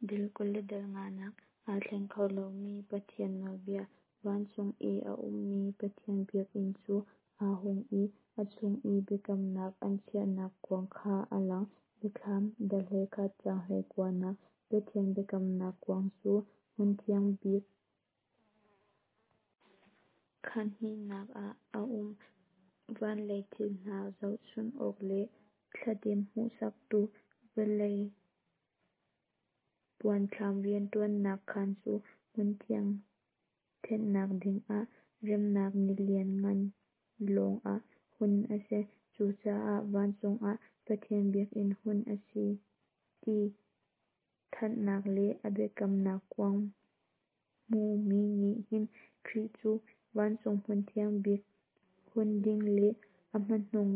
Dal 20 le dal nganak, Aa thleng kho lomi Pathian nawlbia. Vancung i a ummi Pathian biakinn cu aa hung i a chung i biakamnak an chiahnak kuang kha a lang. Biathlam, dal 21 caang 19nak. Pathian biakamnak kuang cu hmunthiang bik khaan hnihnak ah a um. Van lei thil hna zohchunh awk le thladem hmuhsaktu vawlei puanthlam rianṭuannak khaan cu hmunthiang thenhnak dingah Remnak Ni Lianngan lawng ah hun a si. Cucaah vancung ah Pathian biakinn hun a si ti thanhnak le a biakamnak kuang hmuhmi nih hin Khrih cu vancung hmunthiang bik hun ding le a hmanung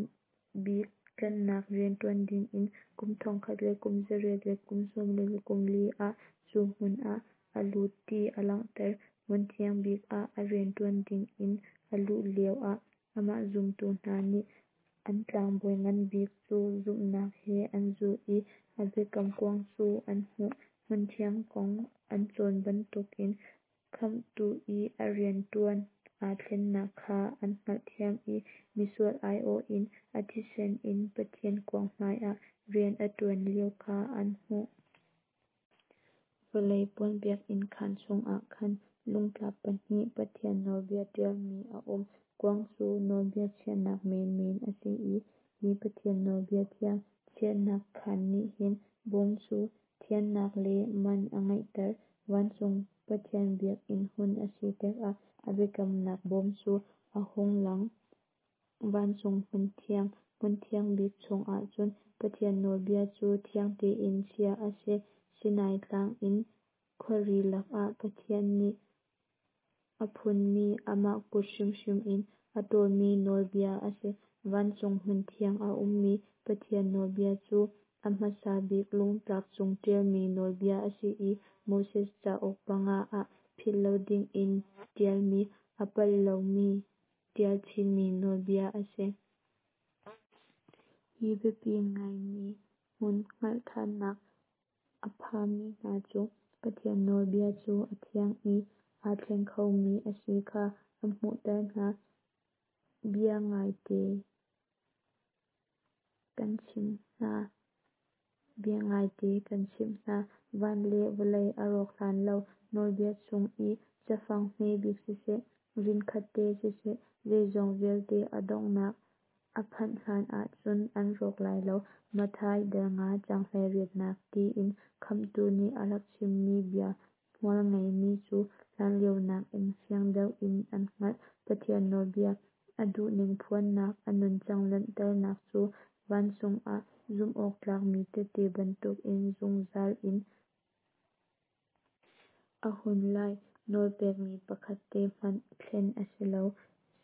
bik tlanhnak rianṭuan dingin kum thongkhat le kum zariat le kum sawmli le kum li ah cu hmun ah a lut ti a langhter. Hmunthiang bik ah a rianṭuan dingin a luh lio ah amah zumtu hna nih an tlangbawi ngan bik cu zumhnak he an zulh i a biakam kuang cu an hmuh. Hmunthiang kong an cawn bantukin Khamhtu i a rianṭuan aa thlennak kha an hngalhthiam i misual aiawh in a thisen in Pathian kuang hmaiah rian a ṭuan lio kha an hmuh. Vawlei puan biakinn khaan chungah khan lungtlap pahnih Pathian nawlbia ṭialmi a um. Kuang cu nawlbia chiahnak menmen a si i hi Pathian nawlbia thiang chiahnak khaan nih hin bawm cu thiannak le man a ngeihter. Vancung Pathian biakinn hun a si tikah a biakamnak bawm cu a hung lang. Vancung hmunthiang, hmunthiang bik chungah cun Pathian nawlbia cu thiang tein chiah a si. Sinai tlang in khuari lakah Pathian nih a phunmi amah kut hrimhrim in a ṭawlmi nawlbia a si. Vancung hmunthiang a ummi Pathian nawlbia cu a hmasa bik lungtlap cung ṭialmi nawlbia a si i Moses cauk panga ah philh lo dingin ṭialmi, a palh lomi ṭial chinmi nawlbia a si. Hi biapi ngaimi hmun hngalhthannak a phami hna cu Pathian nawlbia cu a thiang i aa thleng khomi a si kha a hmuhter hna. Biangaite kan chimh hna, Biangaite kan chimh hna, van le vawlei a rawk hlan lo, nawlbia chung i cafang hme bik siseh, rin khatte siseh, zeizong vialte a donghnak a phanh hlan ahcun an rawk lai lo. Matthai dal nga caang 18nak tiin Khamhtu nih a rak chimmi bia hmual ngeimi cu hlanlio nakin fiang deuh in an hngalh. Pathian nawlbia, a duhning phuannak, a nuncang langhternak cu vancung ah zumhawktlakmi tehte bantukin zungzal in a hmun lai. Nawlpekmi pakhat te hmanh thlen a si lo.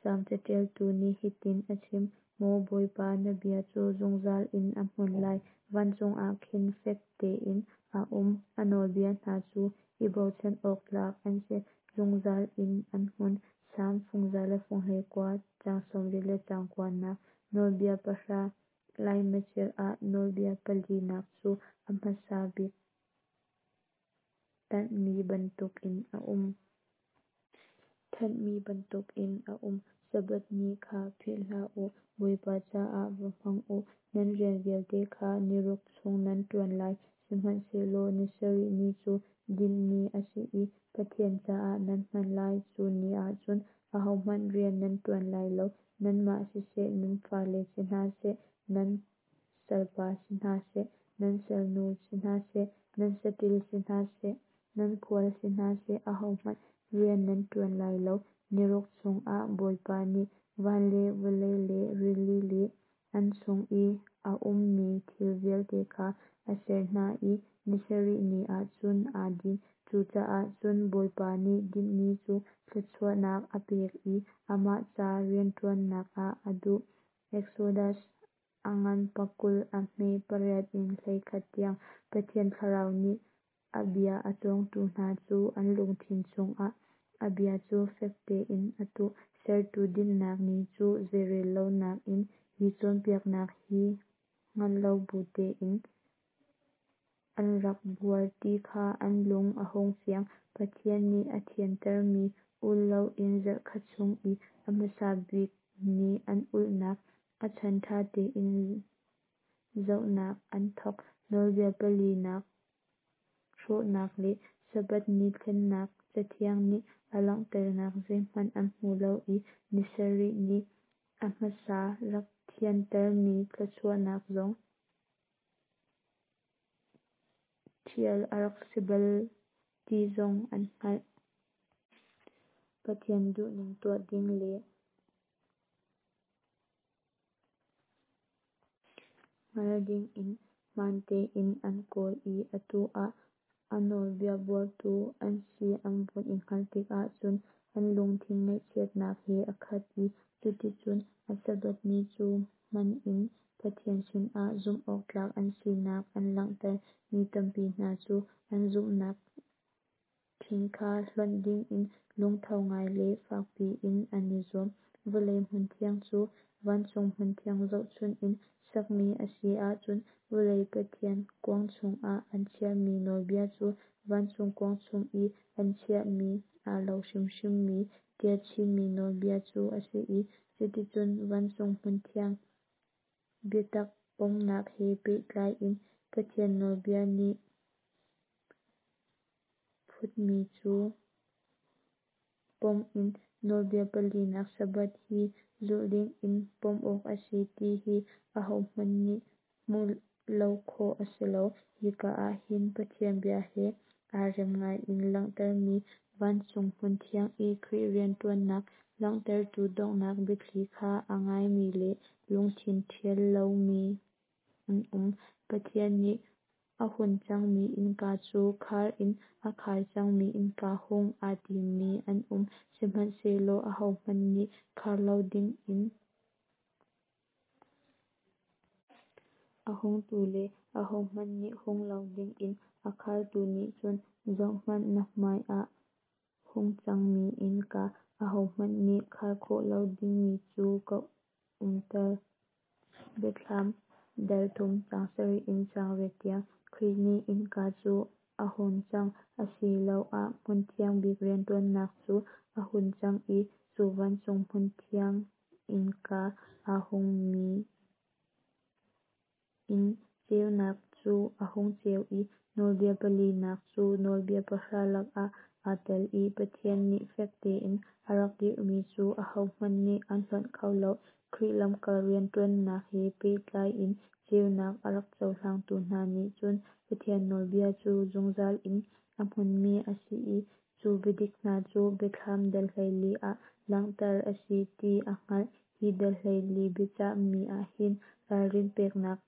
Salm caṭialtu nih hitin a chim: Maw Bawipa, na bia cu zungzal in a hmun lai, vancung ah khin fek tein a um. A nawlbia hna cu i bochan awk tlak an si, zungzal in an hmun. Salm fung za le fung 19, caang 80 le caang kuanak. Nawlbia Pahra laimacil ah nawlbia palinak cu a hmasa bik tanhmi bantukin a um. Thanhmi bantukin a um. Sabbath ni kha philh hlah u, Bawipa caah va hmang u. Nan rian vialte kha ni ruk chung nan ṭuan lai, sihmanhsehlaw ni sarih ni cu dinh ni a si i Pathian caah nan hman lai. Cu ni ah cun ahohmanh rian nan ṭuan lai lo, nanmah siseh, nan fale si hna seh, nan salpa si hna seh, nan salnu si hna seh, nan saṭil si hna seh, nan khual si hna seh, ahohmanh rian nan ṭuan lai lo. Ni ruk chungah Bawipa nih van le vawlei le rili le an chung i a ummi thil vialte kha a ser hna i ni sarih ni ah cun aa din. Cucaah cun Bawipa nih dinh ni cu thluachuahnak a pek i amah ca rianṭuannak ah a duh. Exodus a ngan 20, a hme pariat in 11 tiang. Pathian Thlarau nih a bia a cawngtu hna cu an lungthin chungah a bia cu fek tein a tuh. Sertu dinhnak ni cu zeirel lonak in hi cawnpiaknak hi hngal lo bu tein. an rak buar ti kha an lung a hung fiang. Pathian nih a thiantermi ul loin zarhkhat chung i a hmasa bik ni an ulhnak a chan ṭha tein zohnak an thawk. Nawlbia palinak hrawhnak le Sabbath ni thlennak Cathiang nih a langhternak zeihmanh an hmu lo i ni sarih ni a hmasa rak thiantermi thluachuahnak zong ṭhial a rak si bal ti zong an hngalh. Pathian duhning tuah ding le hngal dingin hmaan tein an kawl i atu ah a nawlbia buartu an si an vun i hngalh tikah cun an lungthin ngaihchiatnak he a khat i cuticun a Sabbath ni cu hman in Pathian sinah zumhawktlak an sinak an langhter. Mi tampi hna cu an zumhnak ṭhing kha hlonh dingin lungtho ngai le fakpi in an i zuam. Vawlei hmunthiang cu vancung hmunthiang zohchunh in sakmi a si ahcun vawlei Pathian kuang chungah an chiahmi nawlbia cu vancung kuang chung i an chiahmi aa lo hrimhrimmi ṭialchinmi nawlbia cu a si i cuticun vancung hmunthiang biatak pomnak he pehtlai in Pathian nawlbia nih phutmi cu pom in nawlbia palinak Sabbath hi zulh dingin pom awk a si ti hi ahohmanh nih hmuh lo khawh a si lo. Hika ah hin Pathian bia he aa rem ngaiin langhtermi vancung hmunthiang i Khrih rianṭuannak langhtertu donghnak biathli kha a ngaimi le lungthin ṭhial lomi an um. Pathian nih a hun cangmi innka cu khar in a khar cangmi innka hung aa timmi an um, sihmanhsehlaw ahohmanh nih khar lo dingin a hungtu le ahohmanh nih hung lo dingin a khartu nih cun, Zohhmanh, na hmaiah hung cangmi innka, ahohmanh nih khar khawh lo dingmi cu ka umter. Biathlam dal thum caang sarih in caang riat tiang. Khrih nih innka cu a hun cang asiloah hmunthiang bik rianṭuannak cu a hun cang i cu vancung hmunthiang innka aa hungmi in ceunak cu a hung ceu i nawlbia palinak cu nawlbia pahra lakah aa tel i Pathian nih fek tein a rak dirhmi cu ahohmanh nih an hlonh kho lo. Khrih lamkal rianṭuannak he pehtlai in ceunak a rak cohlangtu hna nih cun Pathian nawlbia cu zungzal in a hmunmi a si i cu biadik hna cu Biathlam dal 14 ah langhter a si ti a hngalh. Hi dal 14 biacahmi ahhin ralrin peknak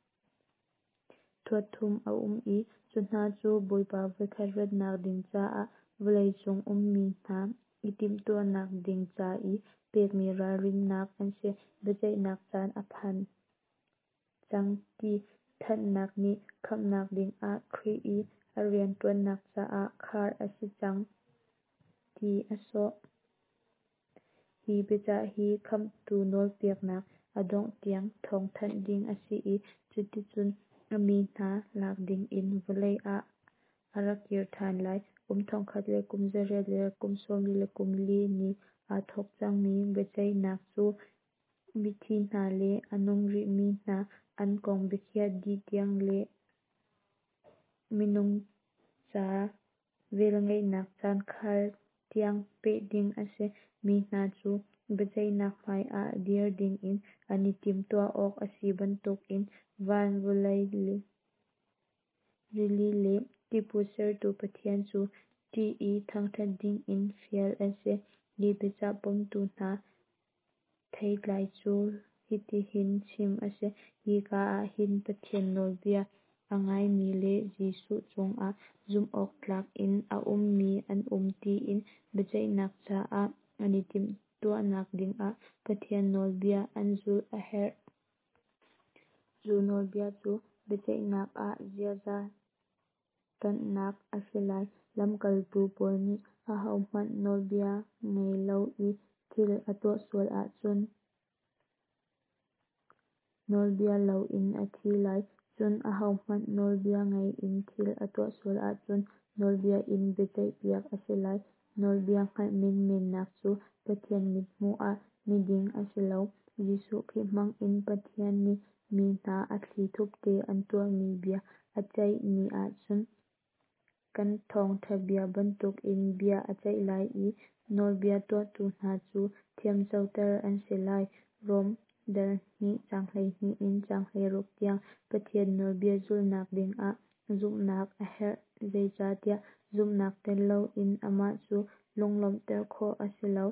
thuat thum a um i cu hna cu Bawipa voikhat ratnak ding caah vawlei cung ummi hna i timhtuahnak ding ca i pekmi ralrinnak an si. Biaceihnak caan a phan cang ti thanhnak nih khamhnak dingah Khrih i a rianṭuannak caah khar a si cang ti a sawh. Hi biacah hi Khamhtu nawlpeknak a dongh tiang thawngthanh ding a si i cuticun a mi hna lak dingin vawlei ah a ra kir ṭhan lai. Kum thongkhat le kum zariat le kum sawmli le kum li ni aa thawk cangmi biaceihnak cu mithi hna le a nung rihmi hna an kong biakhiah dih tiang le minung ca velngeihnak caan khar tiang peh ding a si. Mi hna cu biaceihnak hmaiah dir dingin an i timhtuah awk a si bantukin van, vawlei, rili le tiphut sertu Pathian cu ṭih i thangṭhat dingin fial an si. Hi biacah pomtu hna theitlai cu hitihin chim a si. Hika ah hin Pathian nawlbia a ngaimi le Jesuh cungah zumhawktlak in a ummi an um tiin biaceihnak caah an i timhtuahnak dingah Pathian nawlbia an zulh a herh. Cu nawlbia cu biaceihnak ah ziaza ṭanhnak a si lai. Lamkaltu Paul nih ahohmanh nawlbia ngai lo i thil a tuah sual ahcun nawlbia lo in a thi lai. Cun Cun ahohmanh nawlbia ngaih in thil a tuah sual ahcun nawlbia in biaceihpiak a si lai. Nawlbia hngalh menmennak cu Pathian mithmuh ah miding a si lo. Jesuh Khrih hmangin Pathian nih mi hna a thlithup te an tuahmi bia a ceih ni ah cun kan thawngṭha bia bantukin bia a ceih lai i nawlbia tuahtu hna cu thiamcoter an si lai. Rom dal 2 caang 12 in caang 16 tiang. Pathian nawlbia zulhnak dingah zumhnak a herh, zeicahtiah zumhnak tel loin amah cu lunglawmhter khawh a si lo.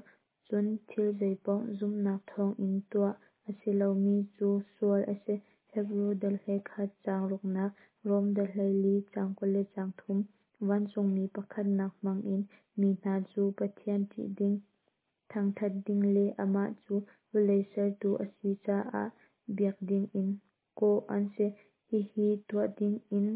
Cun thil zeipaoh zumhnak thawngin tuah a si lomi cu sual a si. Hebru dal 11 caang ruknak, Rom dal 14 caang 20 le caang thum. Vancungmi pakhatnak hmangin mi hna cu Pathian ṭih ding, thangṭhat ding le amah cu vawlei sertu a si caah biak dingin kawh an si. Hihi tuah dingin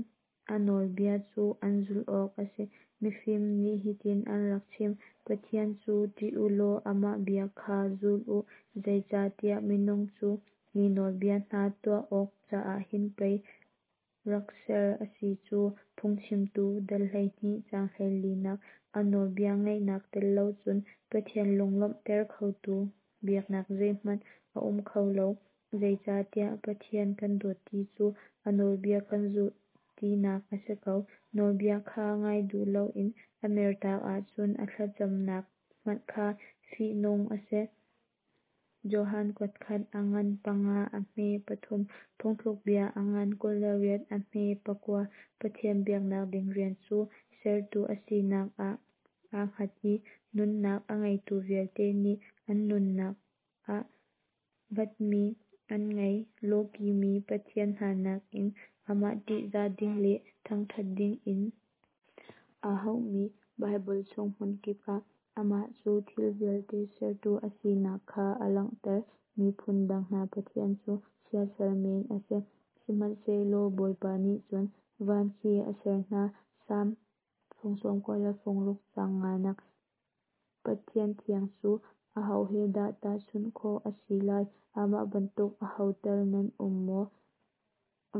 a nawlbia cu an zulh awk a si. Mifim nih hitin an rak chim: Pathian cu ṭih u law amah bia kha zul u, zeicahtiah minung cu hi nawlbia hna tuah awk caah hin pei rak ser a si cu. Phungchimtu dal 12 caang 14nak. A nawlbia ngaihnak tel lo cun Pathian lunglawmhter khotu biaknak zeihmanh a um kho lo. Zeicahtiah Pathian kan dawt ti cu a nawlbia kan zulh tinak a si ko. Nawlbia kha ngai duh loin a mertak ahcun a thlacamnak hmanh kha fihnung a si. Johan kuatkhat a ngan panga a hme pathum. Phungthlukbia a ngan 28 a hme pakua. Pathian biaknak ding rian cu sertu a sinak ah aa hngat i nunnak a ngeitu vialte nih an nunnak ah vatmi an ngei. Lawkihmi pathian hna nakin amah ṭihzah ding le thangṭhat dingin aa hauhmi Baibal chung hmunkip ah amah cu thil vialte sertu a sinak kha a langhter. Miphun dang hna pathian cu siasal men a si, sihmanhsehlaw Bawipa nih cun van khi a ser hna. Salm fung 96 fung ruk caang nganak. Pathian thiang cu aho he dah tahchunh khawh a si lai? Amah bantuk aho tal nan um maw?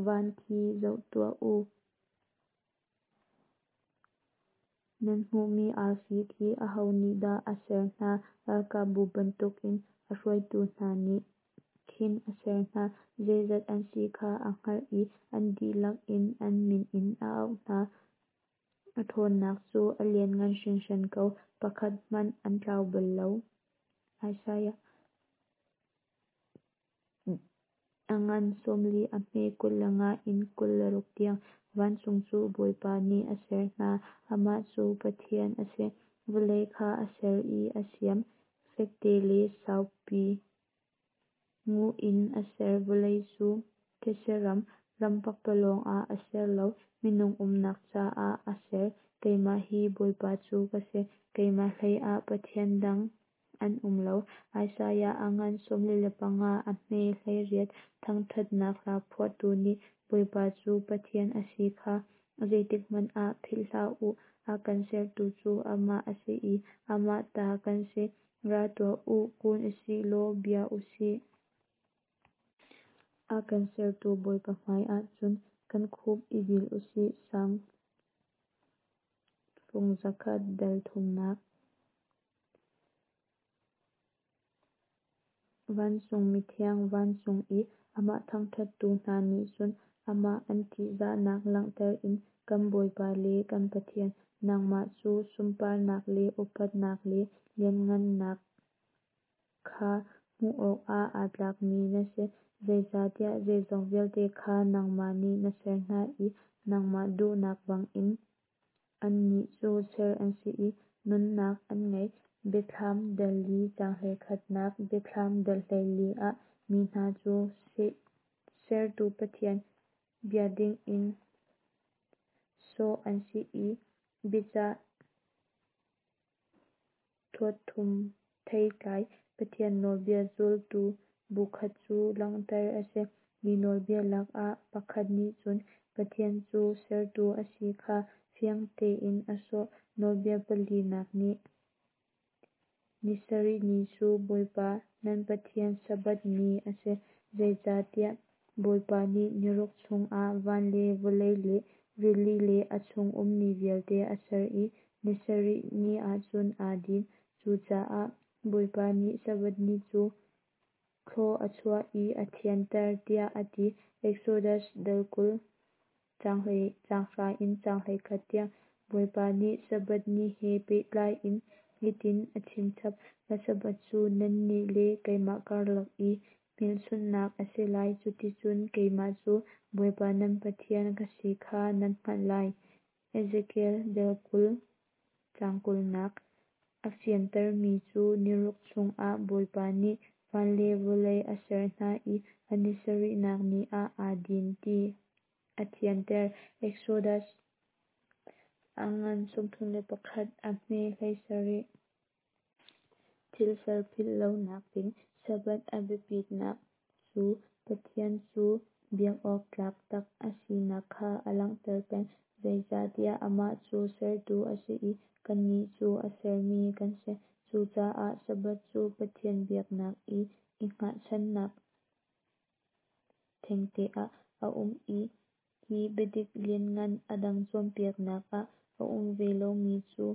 Van khi zoh tuah u. Nan hmuhmi arfi khi aho nih dah a ser hna? Ralkapbu bantukin a hruaitu hna nih khin a ser hna. Zeizat an si kha a hngalh i an dihlak in an min in a auh hna. A ṭhawnnak cu a lianngan hringhran ko, pakhat hmanh an tlau bal lo. Isaiah a ngan 40 a hme 25 in 26 tiang. Vancung cu Bawipa nih a ser hna, amah cu Pathian a si. Vawlei kha a ser i a siam, fekte le saupi nguh in a ser. Vawlei cu thetse ram, ram pakpalawng ah a ser lo, minung umnak caah a ser. Keimah hi Bawipa cu ka si, keimah hleiah Pathian dang an um lo. Isaiah a ngan 45 a hme 18. Thangṭhatnak hla phuahtu nih Bawipa cu Pathian a si kha zeitikhmanh ah philh hlah u. A kan sertu cu amah a si i amah ta kan si. Ra tuah u, kun u sih law bia u sih. A kan sertu Bawipa hmaiah cun kan khup i bil u sih. Salm fung 100 dal thumnak. Vancung mithiang, vancung i amah thangṭhattu hna nih cun amah an ṭihzahnak langhter in kan Bawipa le kan Pathian, nangmah cu sunparnak le upatnak le lianhngannak kha hmuh awkah aa tlakmi na si, zeicahtiah zeizong vialte kha nangmah nih na ser hna i nangmah duhnak bangin annih cu ser an si i nunnak an ngei. Biathlam dal li caang 11nak. Biathlam dal 14 ah mi hna cu sertu Pathian bia dingin sawh an si i biachah thuatthum theitlai Pathian nawlbia zultu bukhat cu langhter a si. Hi nawlbia lak ah pakhat nih cun Pathian cu sertu a si kha fiang tein a sawh. Nawlbia palinak nih ni sarih ni cu Bawipa nan Pathian Sabbath ni a si. Zeicahtiah. Bawipa nih niruk chungah van le vawlei le rili le a chung ummi vialte a ser i ni sarih ni ahcun aa din. Cucaah Bawipa nih Sabbath ni cu thlua a chuah i a thianter tiah a ti. Exodus dal 20 caang 10 in caang 11 tiang. Bawipa nih Sabbath ni he pehtlai in hitin a chimchap: Ka Sabbath cu nannih le keimah karlak i hmelchunhnak a si lai, cuticun keimah cu Bawipa nan Pathian ka si kha nan hngalh lai. Ezekiel dal 20 caang 20nak a fiantermi cu niruk chungah Bawipa nih van le vawlei a ser hna i a ni sarihnak ni ah aa din ti a thianter. Exodus a ngan 31, a hme 17. Thilser philh lonak ding Sabbath a biapitnak cu Pathian cu biak awk tlak tak a sinak kha a langhter peng. Zeicahtiah amah cu sertu a si i kannih cu a sermi kan si. Cucaah Sabbath cu Pathian biaknak i i hngahchannak thengte ah a um i hi biadik lianngan a dang cawnpiaknak ah a um ve lomi cu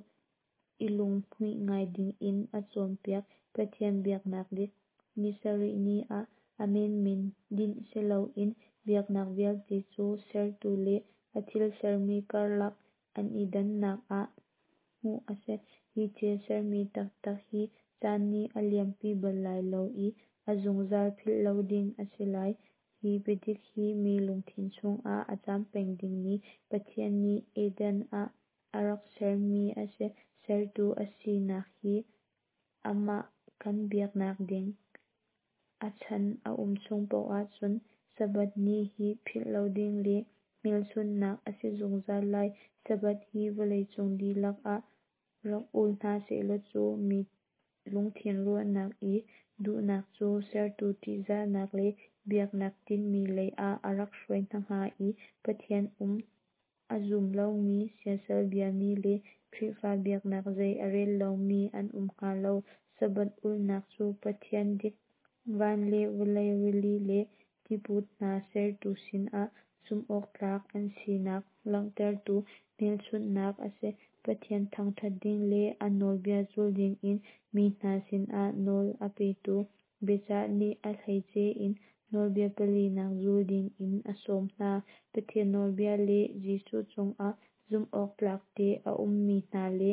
i lunghmuih ngai dingin a cawnpiak. Pathian biaknak dik, ni sarih ni ah a menmen dinh siloin biaknak vialte cu sertu le a thil sermi karlak an i dannak ah hmuh a si. Hi thil sermi taktak hi caan nih a liampi bal lai lo i a zungzal philh lo ding a si lai. Hi biadik hi mi lungthin chungah a caam peng dingmi Pathian nih Eden ah a rak sermi a si. Sertu a sinak hi amah kan biaknak ding a chan a um chung paoh ahcun Sabbath ni hi philh lo ding le hmelchunhnak a si zungzal lai. Sabbath hi vawleicung dihlak ah rak ul hna sehlaw cu mi lungthin ruahnak i duhnak cu sertu ṭihzahnak le biaknak tinhmi lei ah a rak hruai hna hnga i Pathian um a zum lomi, siasal biami le Khrihfa biaknak zei a rel lomi an um hnga lo. Sabbath ulhnak cu Pathian dik, van le vawlei, rili le tiput hna sertu sinah zumhawktlak an sinak langhtertu hmelchunhnak a si. Pathian thangṭhat ding le a nawlbia zul dingin mi hna sinah nawl a petu biacah nih a hleice in nawlbia palinak zul dingin a sawm hna. Pathian nawlbia le Jesuh cungah zumhawktlak te a ummi hna le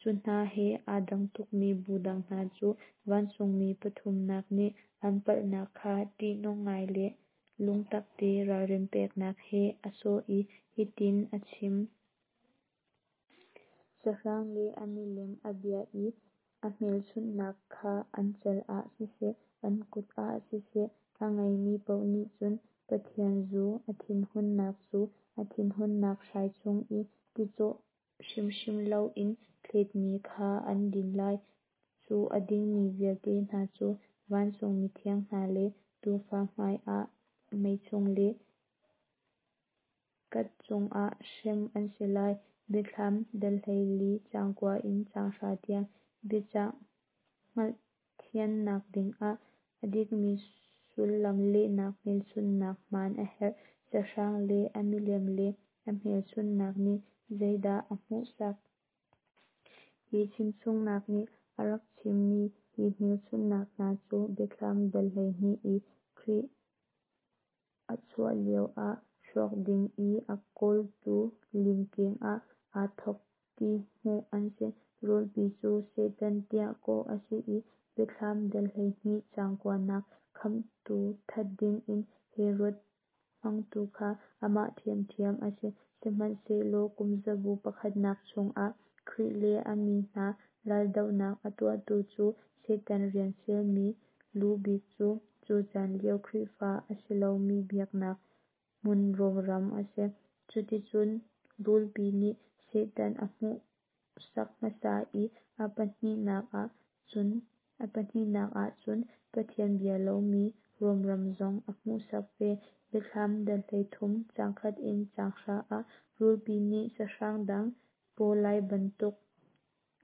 cu hna he aa dang tukmi bu dang hna cu vancungmi pathumnak nih an palhnak kha ṭihnung ngai le lungtakte ralrin peknak he a sawh i hitin a chim. Sahrang le a milem a bia i a hmelchunhnak kha an cal ah siseh, an kut ah siseh, a ngeimi paoh nih cun Pathian zu, a thinhunnak zu, a thinhunnak hrai chung i ti cawh hrimhrim loin thletmi kha an din lai. Cu a dingmi vialte hna cu vancung mithiang hna le Tuufa hmaiah mei chung le kat chungah hrem an si lai. Biathlam dal 14 caang 9 in caang 10 tiang. Biacah hngalhthiamnak dingah a dikmi sullam lehnak hmelchunhnak hmaan a herh. Sahrang le a milem le a hmelchunhnak nih zeidah a hmuhsak? Hi chimchungnak nih a rak chimmi hi hmelchunhnak hna cu Biathlam dal 12 i Khrih a chuah lio ah hrawk ding i a kawltu limkeng ah aa thawk ti hmuh an si. Rulpi cu Satan tiah kawh a si i Biathlam dal 12 caang 9nak khamhtu that dingin Herod hmangtu kha amah ṭhiamṭhiam a si. Sihmanhsehlaw kumzabu pakhatnak chungah Khrih le a mi hna raldohnak a tuahtu cu Satan rian fialmi lu bik cu, cu caan lio Khrihfa a si lomi biaknak hmun Rom ram a si. Cuticun rulpi nih Satan a hmuhsak hmasa i a pahnihnak ahcun Pathian bia lomi Rom ram zong a hmuhsak ve. Biathlam dal 13 caang 1 in caang 9 ah rulpi nih sahrang dang pawlai bantuk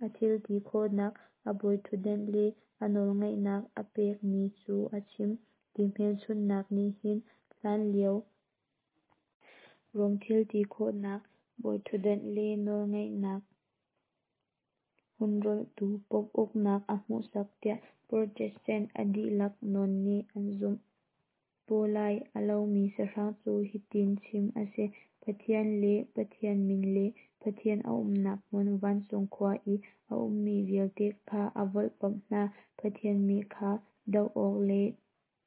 a thil ti khawhnak, a bawiṭhutdan le a nawlngeihnak a pekmi cu a chim. Hi hmelchunhnak nih hin hlanlio Rom thil ti khawhnak, bawiṭhutdan le nawlngeihnak hun rolhtu Pope uknak a hmuhsak tiah Protestant a dihlak nawn nih an zumh. Pawlai a lomi sahrang cu hitin chim a si: Pathian le Pathian min le Pathian a umnak hmun vancung khua i a ummi vialte kha a volhpamh hna. Pathian mi kha doh awk le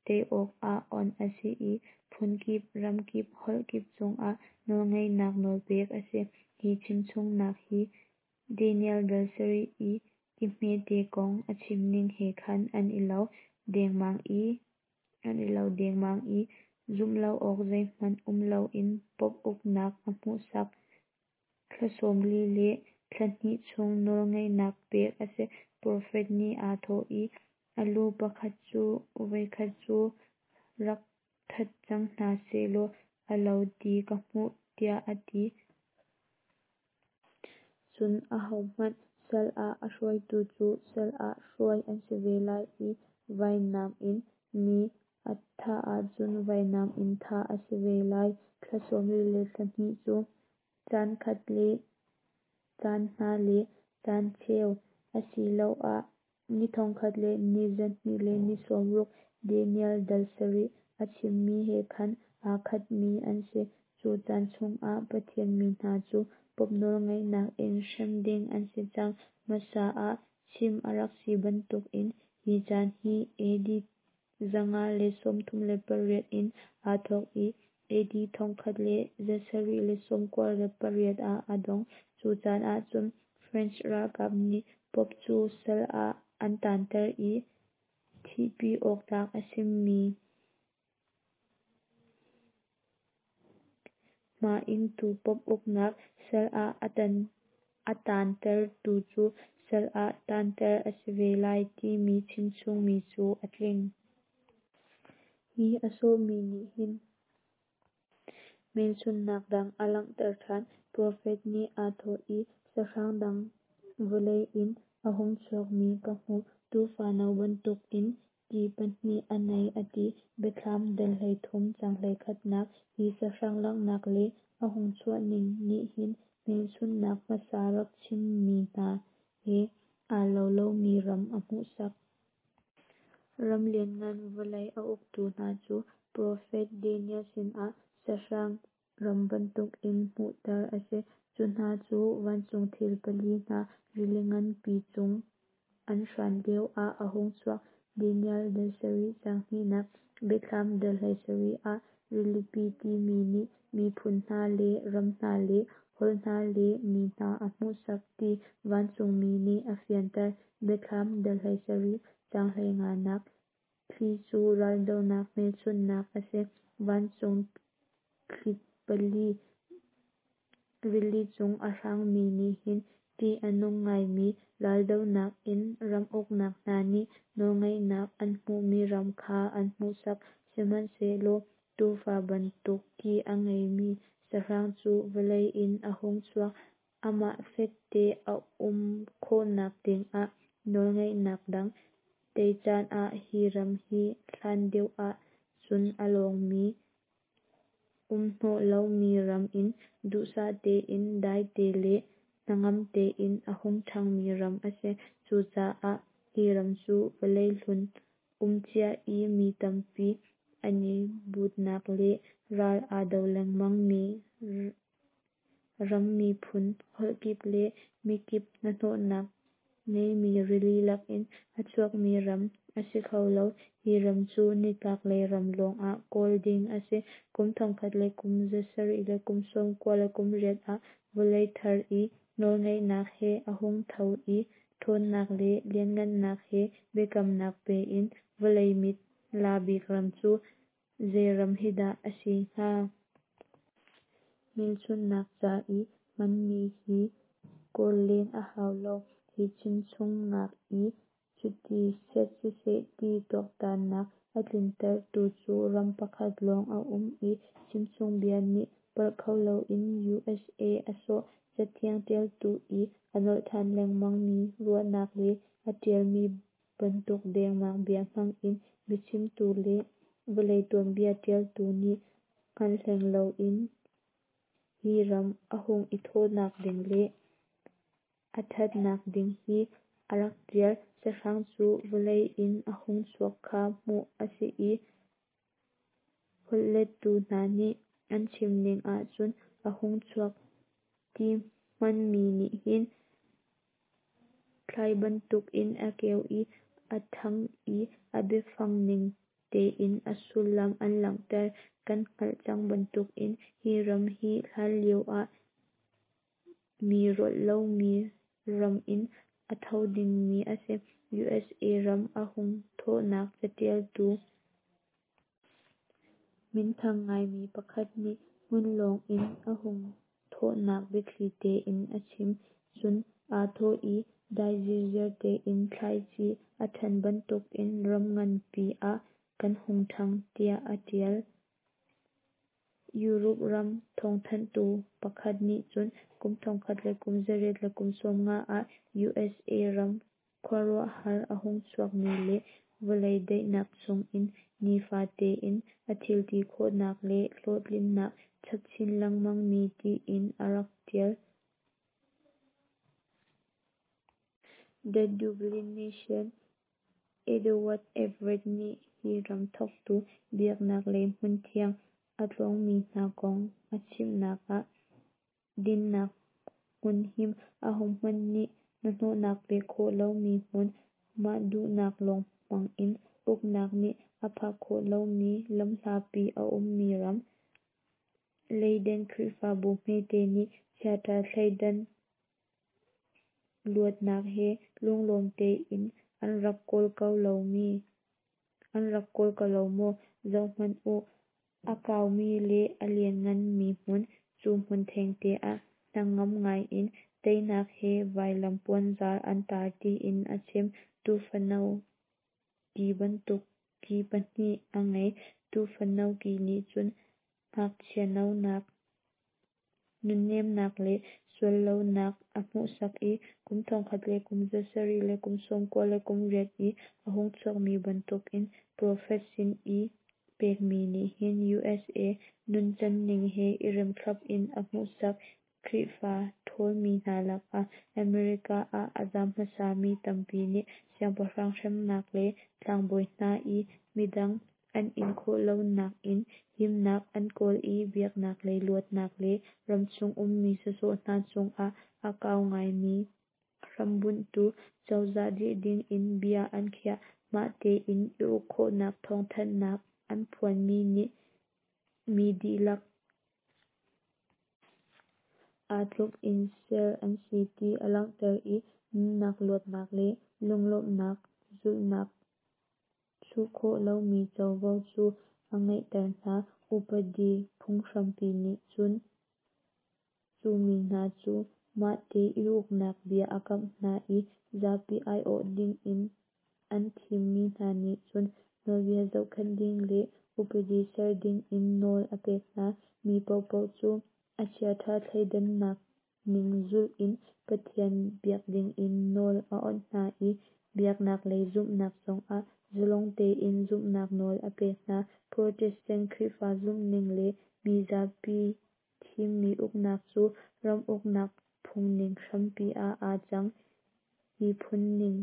tei awkah awnh a si i phun kip, ram kip, holh kip cungah nawlngeihnak nawl pek a si. Hi chimchungnak hi Daniel dal sarih i ki hmete kong a chimning he khan an i lo dengmang i zumh lo awk zeihmanh um loin Pope uknak a hmuhsak. Thla 40 le thla hnih chung nawlngeihnak pek a si. Profet nih aa thawh i, A lu pakhat cu voikhat cu rak that cang hna sehlaw a lo ti ka hmuh, tiah a ti. Cun ahohmanh sal ah a hruaitu cu sal ah hruai an si ve lai i vainam in mi a thah ahcun vainam in thah a si ve lai. Thla 40 le thla hnih cu caan khat le caan hna le caan cheu, asiloah ni thong khat le ni za hnih le ni sawm ruk, Daniel dal sarih a chimmi he khan aa khatmi an si. Cu caan chungah Pathian mi hna cu Pope nawlngeihnak in hrem ding an si cang. Hmasa ah chim a rak si bantukin hi caan hi AD 538 in aa thawk i AD 1798 ah a dong. Cu caan ahcun French ralkap nih Pope cu sal ah an taanter i thihpi awk tlak a simi hma ingtu Pope uknak sal ah a taantertu cu sal ah taanter a si ve lai timi chimchungmi cu a tling. Hi a sawhmi nih hin hmelchunhnak dang a langhter ṭhan. Profet nih aa thawh i, Sahrang dang vawlei in a hung chuakmi ka hmuh. Tuufa no bantukin ki pahnih a nei a ti. Biathlam dal 13 caang 21nak. Hi sahrang langhnak le a hung chuahning nih hin hmelchunhnak hmasa rak chimmi hna he aa lo lomi ram a hmuhsak. Ram lianngan vawlei a uktu hna cu profet Daniel sinah sahrang ram bantukin hmuhter a si. Cu hna cu vancung thil pali hna rili nganpi cung an hran lioah a hung chuak. Daniel dal sarih caang hnihnak. Biathlam dal 17 ah rilipi timi nih miphun hna le ram hna le holh hna le mi hna a hmuhsak ti vancungmi nih a fianter. Biathlam dal 17 caang 15nak. Thli cu raldohnak hmelchunhnak a si. Vancung thli pali rili cung a hrangmi nih hin ṭih a nung ngaimi raldohnak in ram uknak hna nih nawlngeihnak an hmuhmi ram kha an hmuhsak. Sihmanhsehlaw tuufa bantuk ki a ngeimi sahrang cu vawlei in a hung chuak. Amah fekte a um khawhnak dingah nawlngeihnak dang tei canah hi ram hi hlan deuh ah cun a lawngmi umhnawh lomi ram in duhsah tein daite le hnangam tein a hung ṭhangmi ram a si. Cucaah hi ram cu vawlei hlun um cia i mi tampi an i butnak le ral aa do lengmangmi ram miphun holh kip le mikip hnahnawhnak ngeimi rili lakin a chuakmi ram a si kho lo. Hi ram cu nitlaklei ram lawngah kawl ding a si. Kum thongkhat le kum zasarih le kum sawm kua le kum riat ah vawlei thar i nawlngeihnak he a hung tho i ṭhawnnak le lianhngannak he biakamnak pe in vawlei mit la bik ram cu zei ram hi dah a si hnga? Hmelchunhnak ca i hmanmi hi kawl len a hau lo. Hi chimchungnak i cuti set siseh ti tuaktannak a tlintertu cu ram pakhat lawng a um i chimchungbia nih palh kho loin USA a sawh. Cathiang ṭialtu i a nolh ṭhan lengmangmi ruahnak le a ṭialmi bantuk dengmang bia hmang in biachimtu le. Vawlei tuanbia ṭialtu nih hngalh hleng loin hi ram a hung i thawhnak ding le a ṭhannak ding hi a rak ṭial. Sahrang cu vawlei in a hung chuak kha hmuh a si i holhlettu hna nih an chimning ahcun a hung chuak ti hmanmi nih hin thlai bantukin a keu i a ṭhang i a biafang ning tein a sullam an langhter. Kan hngalh cang bantukin hi ram hi hlanlio ah mi rolh lomi ram in a tho dingmi a si. USA ram a hung thawhnak caṭialtu minthang ngaimi pakhat nih hmunlawng in a hung thawhnak biathli tein a chim. Cun aa thawh i dai zirziar tein thlaici a ṭhan bantukin ram nganpi ah kan hung ṭhang, tiah a ṭial. Europe ram thawngthanhtu pakhat nih cun kum 1890 ah USA ram khuaruahhar a hung chuakmi le vawlei daihnak chungin nifa tein a thilti khawhnak le hlawhtlinnak chap chin lengmangmi tiin a rak ṭial. The Dublin Nation Edward Everett nih hi ram thawktu biaknak lei hmunthiang a tlawngmi hna kong a chimnak ah dinnak hmunhim, ahohmanh nih hnahnawhnak pek khawh lomi hmun, mah duhnak lawng hmang in uknak nih a phak khawh lomi lamhlapi a ummi ram. Leiden Khrihfabu hmete nih chiaṭha thleidan luatnak he lunglawm tein an rak kawl ko lo maw? Zohhmanh u, a kaumi le a liannganmi hmun, cu hmun thengte ah hnangam ngaiin teinak he vailam puanzar an tar tiin a chim. Tuufano ki bantuk ki pahnih a ngei. Tuufano ki nih cun ngakchianonak, nunnemnak le suallonak a hmuhsak i kum 1798 i a hung chuakmi bantukin profet sin i pekmi nih hin USA nuncanning he i rem thlap in a hmuhsak. Khrihfa ṭhawlmi hna lakah America ah a zam hmasami tampi nih siangpahrang hremnak le tlangbawi hna i midang an in khawh lonak in himnak an kawl i biaknak lei luatnak le ramchung ummi sawsawh hna cungah a kau ngaimi hrambunhtu cozah dirh dingin bia an khiah. Mah tein i uk khawhnak thawngthanhnak an phuanmi nih mi dihlak aa tluk in ser an si ti a langhter i nunnak luatnak le lunglawmhnak zulhnak chuh khawh lomi covo cu a ngeihter hna. Upadi phunghrampi nih cun cu mi hna cu mahte i uknak bia a kamh hna i zapi aiawh dingin an thimmi hna nih cun nawlbia zohkhenh ding le upadi ser dingin nawl a pek hna. Mi paohpaoh cu a chiaṭha thleidannak ning zulh in Pathian biak dingin nawl a awnh hna i biaknak lei zumhnak zongah zalong tein zumhnak nawl a pek hna. Protestant Khrihfa zumhning le mi zapi thimmi uknak cu ram uknak phungning hrampi ah aa cang. Hi phungning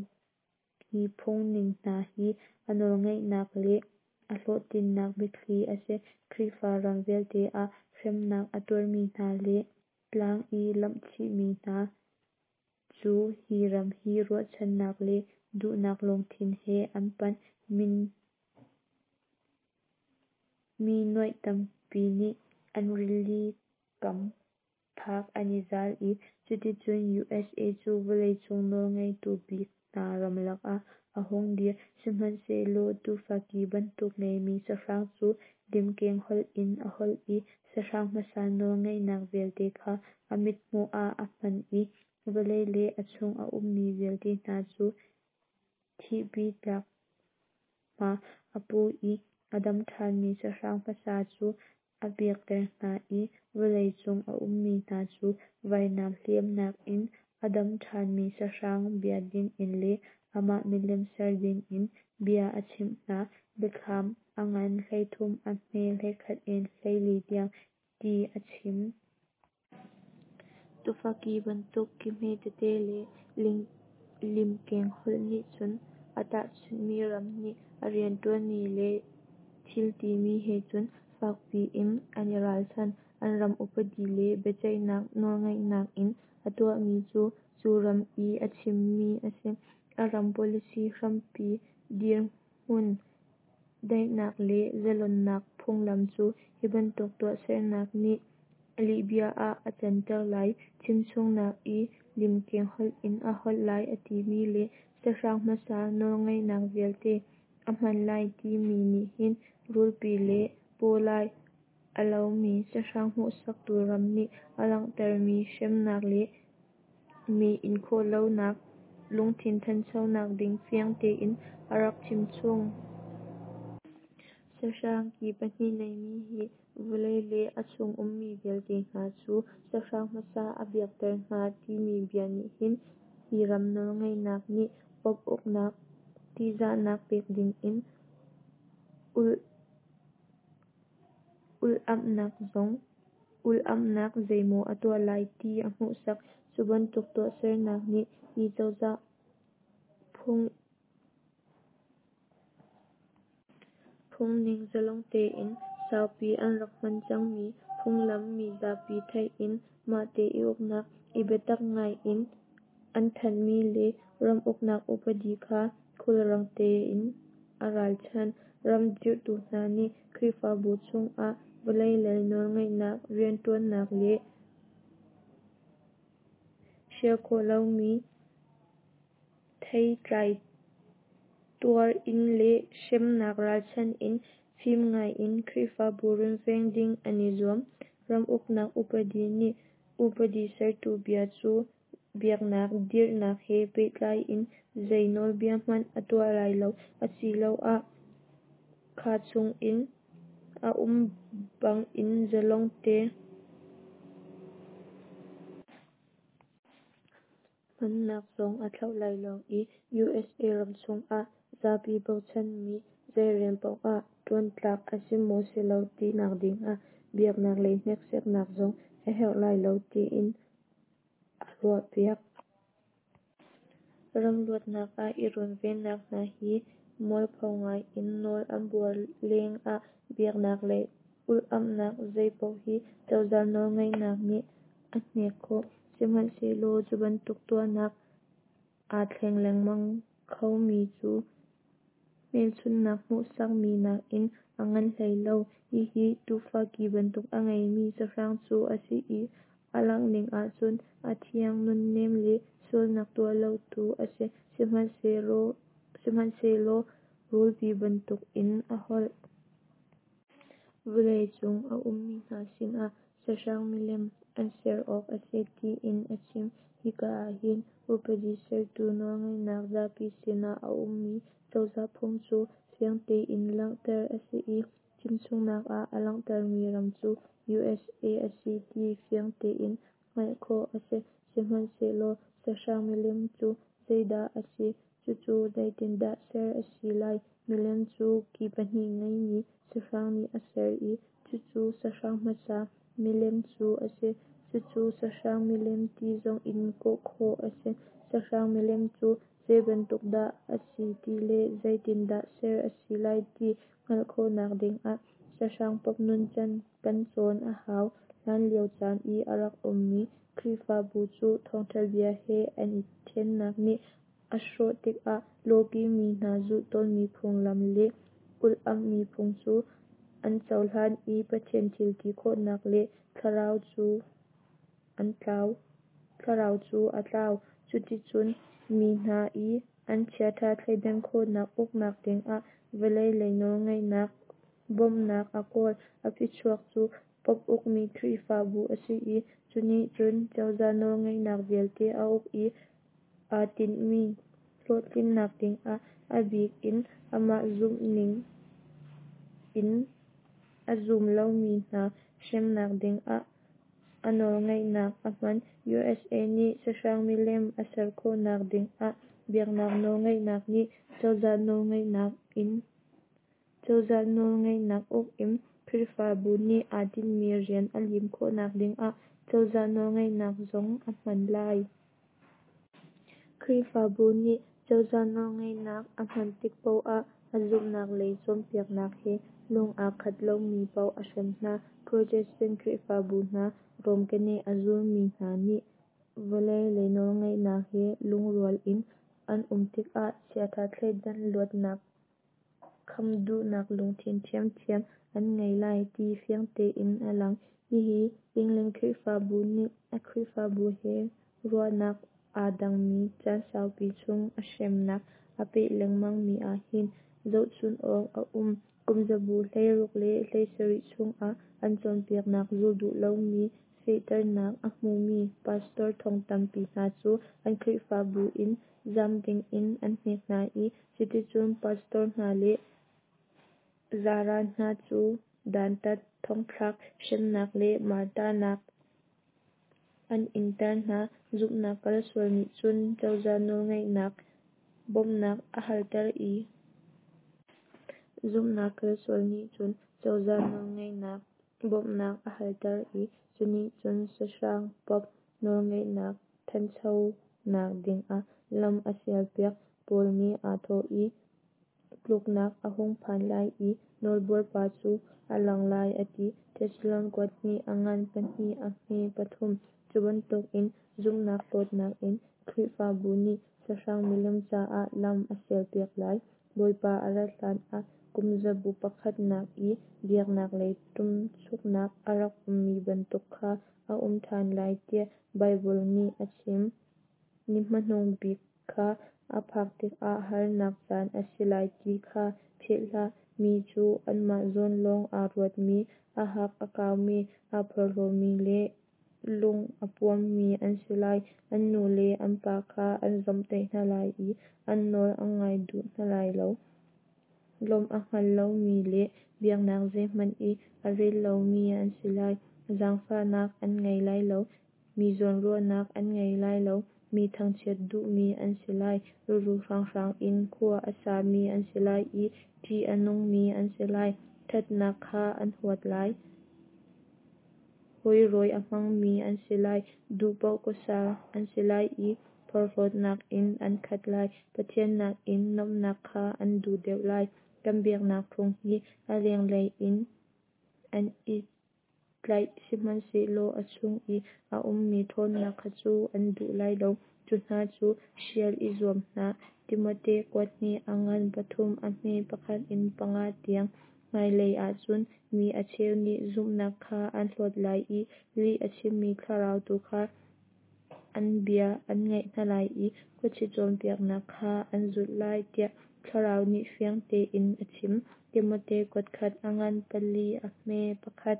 hna hi a nawlngeihnak le a hlawhtlinnak biathli a si. Khrihfa ram vialte ah hremnak a tuarmi hna le tlang i lamhchihmi hna cu hi ram hi ruahchannak le duhnak lungthin he an panh. Mi nuaih tampi nih an rili kam phak an i zal i cuticun USA cu vawleicung nawlngeitu bik hna ram lakah a hung dir. Sihmanhsehlaw tuufa ki bantuk ngeimi sahrang cu limkeng holh in a holh i sahrang hmasa nawlngeihnak vialte kha a mithmuh ah a hman i vawlei le a chung a ummi vialte hna cu thihpi tlak hma a pu i a dam ṭhanmi sahrang hmasa cu a biakter hna i vawlei cung a ummi hna cu vainam hliamnak in a dam ṭhanmi sahrang bia dingin le amah milem ser dingin bia a chimh hna. Biathlam a ngan 13 a hme 11 in 14 tiang ti a chim. Tuufa ki bantuk ki hme tete le limkeng holh nih cun a tahchunhmi ram nih a rianṭuanmi le thil timi he cun fakpi in an i ralchan. An ram upadi le biaceihnak nawlngeihnak in a tuahmi cu cu ram i a chimmi a si. A ram policy hrampi dirhmun, daihnak le zalonnak phunglam cu hi bantuk tuahsernak nih lihbia ah a canter lai. Chimchungnak i limkeng holh in a holh lai a timi le sahrang hmasa nawlngeihnak vialte a hman lai timi nih hin rulpi le pawlai a lomi sahrang hmuhsaktu ram nih a langhtermi hremnak le mi inkhawhlonak lungthin thanchonak ding fiang tein a rak chimchung. Sahrang ki pahnih neimi hi vawlei le a chung ummi vialte hna cu sahrang hmasa a biakter hna timi bia nih hin hi ram nawlngeihnak nih Pope uknak tihzahnak pek dingin ulh-amhnak zeimaw a tuah lai ti a hmuhsak. Cu bantuk tuahsernak nih hi cozah phungning zalong tein saupi an rak hman cangmi phunglam, mi zapi theih in mahte i uknak, i biatak ngai in an thanhmi le ram uknak upadi kha khulrang tein a ralchanh. Ram dirhtu hna nih Khrihfabu chungah vawlei lei nawlngeihnak rianṭuannak le hrial khawh lomi theitlai tuar in le hremnak ralchanh in fim ngai in Khrihfabu runveng ding an i zuam. Ram uknak upadi nih upadi sertu bia cu biaknak dirhnak he pehtlai in zei nawlbia hmanh a tuah lai lo, asiloah kha chungin a um bangin zalong te hmannak zong a thlauh lai lo i, USA ram chungah zapi bochanmi zei rian poah ṭuan tlak a si maw si lo tinak dingah biaknak lei hneksaknak zong a herh lai lo tiin a ruahpiak. Ram luatnak ah i runvennak hna hi mualpho ngai in nawl an buar lengah biaknak lei ulh-amhnak zeipaoh hi cozah nawlngeihnak nih a hnek khawh. Sihmanhsehlaw cu bantuk tuahnak aa thleng lengmang khomi cu hmelchunhnak hmuhsakmi nakin a ngan hlei lo. Hihi tuufa ki bantuk a ngeimi sahrang cu a si i a langhning ahcun a thiang, nunnem le sualnak tuah lotu a si, sihmanhsehlaw rulpi bantukin a holh. Vawlei cung a ummi hna sinah sahrang milem an ser awk a si tiin a chim. Hika ahhin upadi sertu nawlngeihnak zapi sinah a ummi cozah phung cu fiang tein langhter a si i, chimchungnak ah a langhtermi ram cu USA a si ti fiang tein hngalh khawh a si. Sihmanhsehlaw sahrang milem cu zeidah a si, cucu zeitindah ser a si lai? Milem cu ki pahnih ngeimi sahrang nih a ser i cucu sahrang hmasa milem cu a si. Cucu sahrang milem ti zongin kawh khawh a si. Sahrang milem cu zeibantuk dah a si ti le zeitindah ser a si lai ti hngalh khawhnak dingah sahrang Pope nuncan kan cawn a hau. Hlanlio caan i a rak ummi Khrihfabu cu thawngtha bia he an i thennak nih a hrawh tikah lawki mi hna zulh tawnmi phunglam le ulh-amhmi phung cu an cohlan i Pathian thil ti khawhnak le thlarau cu a tlau. Cuticun mi hna i an chiatha thleidan khawhnak uknak dingah vawlei lei nawlngeihnak bawmhnak a kawl. A phichuak cu Pope ukmi Khrihfabu a si i, cu nih cun cozah nawlngeihnak vialte a uk i aa tinhmi hlawhtlinnak dingah a bik in amah zumhning in a zum lomi hna hremnak dingah a nawlngeihnak a hman. USA nih sahrang milem a ser khawhnak dingah Biaknak nawlngeihnak nih cozah nawlngeihnak in cozah nawlngeihnak uk in Khrihfabu nih aa tinhmi rian a lim khawhnak dingah cozah nawlngeihnak zong a hman lai. Khrihfabu nih cozah nawlngeihnak a hman tik paoh ah a zumhnak lei cawnpiaknak he lung aa khat lomi paoh a hrem hna. Protestant Khrihfabu hna Rom keneh a zulmi hna nih vawlei lei nawlngeihnak he lungrual in an um tikah chiatha thleidan luatnak kham duhnak lungthin ṭhiamṭhiam an ngei lai, ti fiang tein a lang. Hihi England Khrihfabu nih a Khrihfabu he ruahnak aa dangmi caan saupi chung a hremnak a peh lengmang mi ahhin zohchun awk a um. Kumzabu 16 le 17 chungah an cawnpiaknak zul duh lomi fehternak a hmumi pastor thong tampi hna cu an Khrihfabu in zam dingin an hnek hna i, cuticun pastor hna le zaran hna cu dantat, thongthlak, hremnak le martarnak an inter hna. Zumhnak kalsual nih cun cozah nawlngeihnak bawmhnak a halter i, Zumhnak kalsual nih cun cozah nawlngeihnak bawmhnak a halter i, cunih cun sahrang Pope nawlngeihnak thanchonak dingah lam a sialpiak. Paul nih aa thawh i, tluknak a hung phan lai i nawlbuar pa cu a lang lai a ti. Thesalon kuat hnih a ngan pahnih a hme pathum. Cu bantukin zumhnak hlawtnak in Khrihfabu nih sahrang milem caah lam a sialpiak lai. Bawipa a rat hlan ah kumzabu pakhatnak i biaknak lei ṭumchuknak a rak ummi bantuk kha a um ṭhan lai tiah Baibal nih a chim. Ni hmanung bik kha a phak tikah harnak caan a si lai ti kha philh hlah. Mi cu anmah zawn lawng aa ruatmi, a hak a kaumi, aa porhlawmi le lung a puammi an si lai. An nu le an pa kha an zawmhtaih hna lai i an nawl an ngai duh hna lai lo. Lawmh a hngal lomi le biaknak zeihmanh i a rel lomi an si lai. Zaangfahnak an ngei lai lo, mi zawnruahnak an ngei lai lo, mi thangchiat duhmi an si lai, ruru hranghrang in khua a sami an si lai i ṭih a nungmi an si lai. Ṭhatnak kha an huat lai, hawi rawi a hmangmi an si lai, duh paoh khuasa an si lai i porhlawtnak in an khat lai. Pathian nakin nuamhnak kha an duh deuh lai. Kan biaknak phung hi a lenglei in an i tlaih, sihmanhsehlaw a chung i a ummi ṭhawnnak kha cu an duh lai lo. Cu hna cu hrial i zuam hna. Timote kuat hnih a ngan pathum a hme pakhat in panga tiang. Hmailei ah cun mi a cheu nih zumhnak kha an hlawt lai i lih a chimmi thlarau tu kha an bia an ngaih hna lai i khuachia cawnpiaknak kha an zulh lai, tiah Thlarau nih fiang tein a chim. Timote kuat khat a ngan pali a hme pakhat.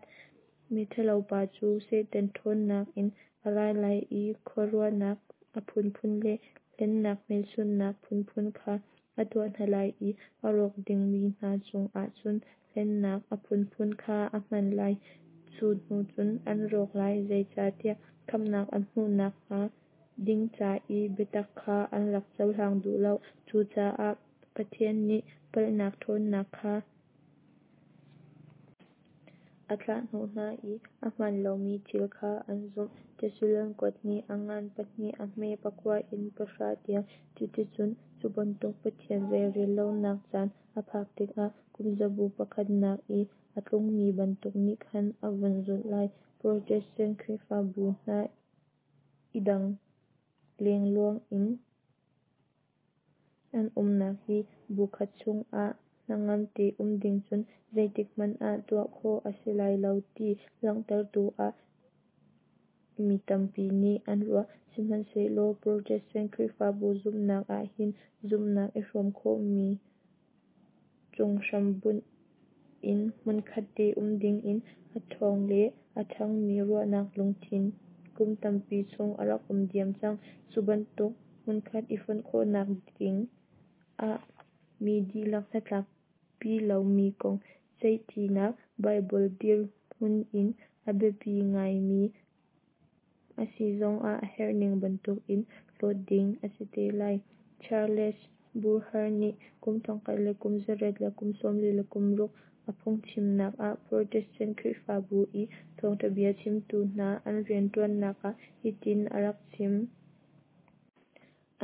Miṭhalopa cu Satan ṭhawnnak in a ra lai i khuaruahnak a phunphun le hlennak hmelchunhnak phunphun kha a tuah hna lai i a rawk dingmi hna cungah cun hlennak a phunphun kha a hman lai. Cu hnu cun an rawk lai, zeicahtiah khamhnak an hmuh nakhnga ding ca i biatak kha an rak cohlang duh lo. Cucaah Pathian nih palhnak ṭhawnnak kha a thlahhnawh hna i ahmaan lomi thil kha an zumh. Thesalon kuat hnih a ngan pahnih a hme pakua in pahra tiang. Cuticun cu bantuk Pathian zeirel lonak caan a phak tikah kumzabu pakhatnak i a tlungmi bantuk nih khan a vun zulh lai. Protestant Khrihfabu hna i dang lengluang in an umnak hi bu khat chungah hnangam te um ding cun zeitik hmanh ah tuah khawh a si lai lo ti langhtertu ah mi tampi nih an ruah. Sihmanhsehlaw Protestant Khrihfabu zumhnak ahhin zumhnak i hrawm khawhmi cung hrambunh in hmunkhat te um dingin a ṭhawng le a ṭhangmi ruahnak lungthin kum tampi chung a rak um diam cang. Cu bantuk hmunkhat i fonh khawhnak ding ah mi dihlak hnatlakpi lomi kong ceihṭinak Baibal dirhmun in a biapi ngaimi a si zongah a herhning bantukin hlawt ding a si te lai. Charles Buher nih kum 1846 a phungchimnak ah Protestant Khrihfabu i thawngtha bia chimtu hna an riantuannak ah hitin a rak chim.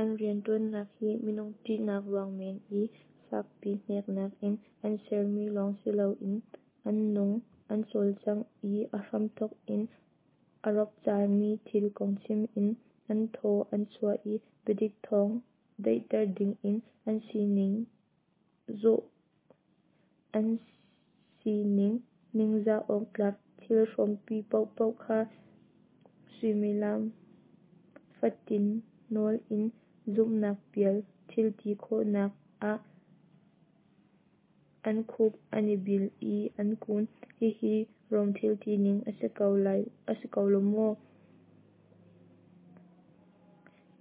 An riantuannak hi minung ṭihnak ruang men i fakpi hneknak in an sermi lawng siloin an nung, an cawlcangh i a hramthawk in a ropcarmi thil kong chim in an thaw an chuah i biadik thawng daihter dingin an sining ningzah awktlak thil hrawmpi paohpaoh kha suimilam fatin nawl in zumhnak pial thilti khawhnak ah an khup an i bil i an kun. Hihi Rom thilti ning a si ko lo maw?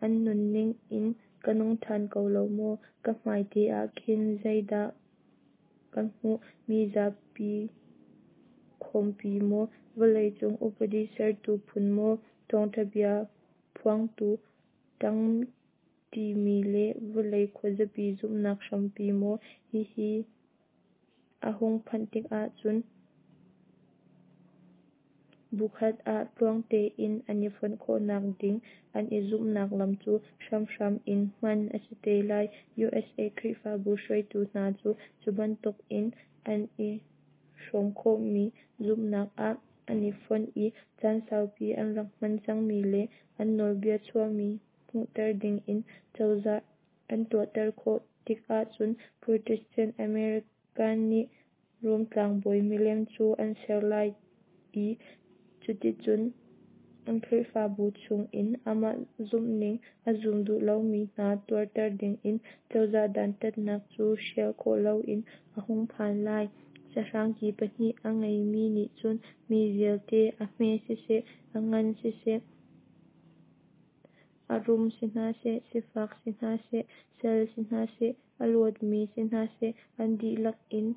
An nunning in ka nung ṭhan ko lo maw? Ka hmai te ah khin zeidah ka hmuh? Mi zapi khawmpi maw? Vawleicung upadi sertu phun maw? Thawngtha bia phuangtu ṭangṭimi le vawlei khuazapi zumhnak hrampi maw? Hihi a hung phanh tikah cun bukhat ah tluang tein an i fonh khawhnak ding an i zumhnak lam cu hramhram in hman a si te lai. USA Khrihfabu hruaitu hna cu cubantukin an i hrawm khawhmi zumhnak ah an i fonh i caan saupi an rak hman cangmi le an nawlbia chuahmi hmuhter dingin cozah an tuahter khawh tik ahcun Protestant American nih Rom tlangbawi milem cu an ser lai i cuticun an Khrihfabu chungin amah zumhning a zum duh lomi hna tuarter dingin cozah dantatnak cu hrial khawh loin a hung phan lai. Sahrang ki pahnih a ngeimi nih cun mi vialte, a hme siseh, a ngan siseh, a rum si hna seh, sifak si hna seh, sal si hna seh, a luatmi si hna seh, an dihlak in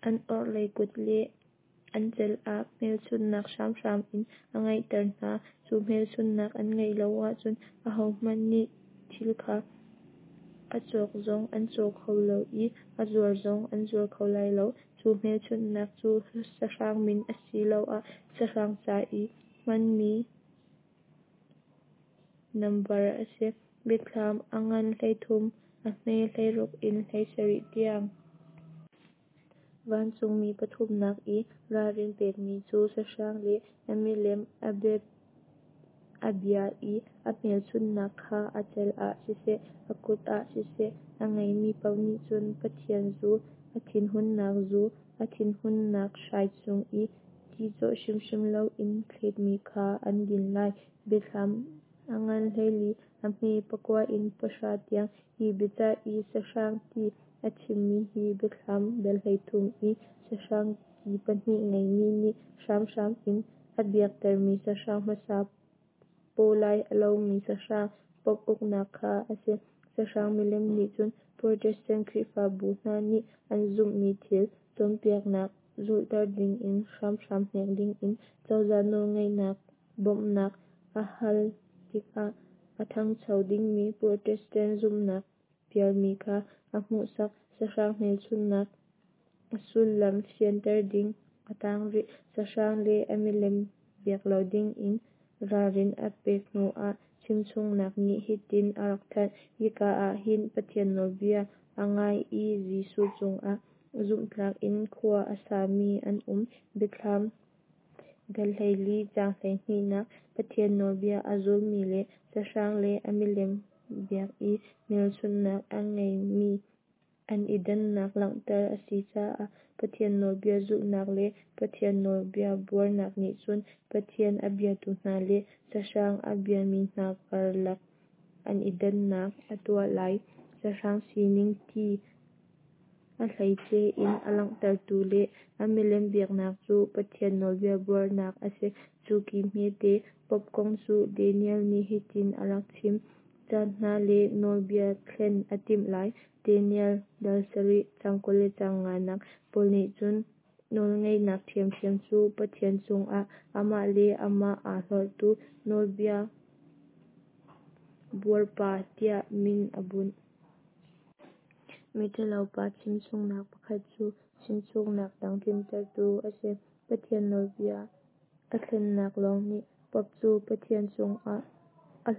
an orhlei kut le an cal ah hmelchunhnak hramhram in a ngeihter hna. Cu hmelchunhnak an ngeih lo ahcun ahohmanh nih thil kha a cawk zong an caw kho lo i a zuar zong an zuar kho lai lo. Cu hmelchunhnak cu sahrang min asiloah sahrang ca i hmanmi nambar a si. Biathlam a ngan 13, a hme 16 in 17 tiang. Vancungmi pathumnak i ralrin pekmi cu sahrang le a milem a bia i a hmelchunhnak kha a cal ah siseh, a kut ah siseh, a ngeimi paoh nih cun Pathian zu, a thinhunnak zu, a thinhunnak hrai chung i ti cawh hrimhrim loin thletmi kha an din lai. Biathlam a ngan 14, a hme 9 in 10 tiang. Hi biacah i sahrang ti a chimmi hi Biathlam dal 13 i sahrang ki pahnih ngeimi nih hramhram in a biaktermi sahrang hmasa pawlai a lomi sahrang, Pope uknak kha a si. Sahrang milem nih cun Protestant Khrihfabu hna nih an zumhmi thil, cawnpiaknak zulhter dingin hramhram hnek dingin cozah nawlngeihnak bawmhnak a hal tikah a thangcho dingmi Protestant zumhnak pialmi kha a hmuhsak. Sahrang hmelchunhnak a sullam fianter ding a tang rih. Sahrang le a milem biak lo dingin ralrin a pek hnuah chimchungnak nih hitin a rak thanh: Hika ah hin Pathian nawlbia a ngai i Jesuh cungah zumhtlak in khua a sami an um. Biathlam dal 14 caang 12nak Pathian nawlbia a zulmi le sahrang le a milem biak i hmelchunhnak a ngeimi an i dannak langhter a si caah Pathian nawlbia zulhnak le Pathian nawlbia buarnak nih cun Pathian a biatu hna le sahrang a biami hna karlak an i dannak a tuah lai. Sahrang sining ti a hleice in a langhtertu le a milem biaknak cu Pathian nawlbia buarnak a si. Cu ki hmete Pope kong cu Daniel nih hitin a rak chim: Caan hna le nawlbia thlen a timh lai. Daniel dal 7 caang 20 le caang 5nak Paul nih cu nawlngeihnak ṭhiamṭhiam cu Pathian cungah amah le amah aa hlorhtu nawlbia buarpa tiah min a bunh. Miṭhalopa chimchungnak pakhat cu chimchungnak dang tlintertu a si. Pathian nawlbia a thlennak lawng nih Pope cu Pathian cungah a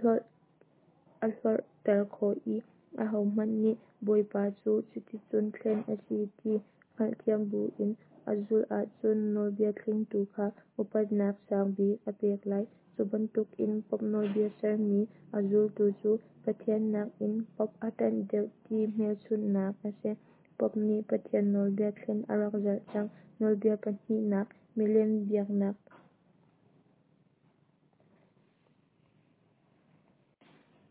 hlorhter khawh i ahohmanh nih Bawipa cu cuticun thlen a si ti hngalhthiam buin a zulh ahcun nawlbia thlengtu kha upatnak sang bik a pek lai. Cu bantukin Pope nawlbia sermi a zultu cu Pathian nakin Pope a ṭanh deuh ti hmelchunhnak a si. Pope nih Pathian nawlbia thlen a rak zalh cang. Nawlbia pahnihnak milem biaknak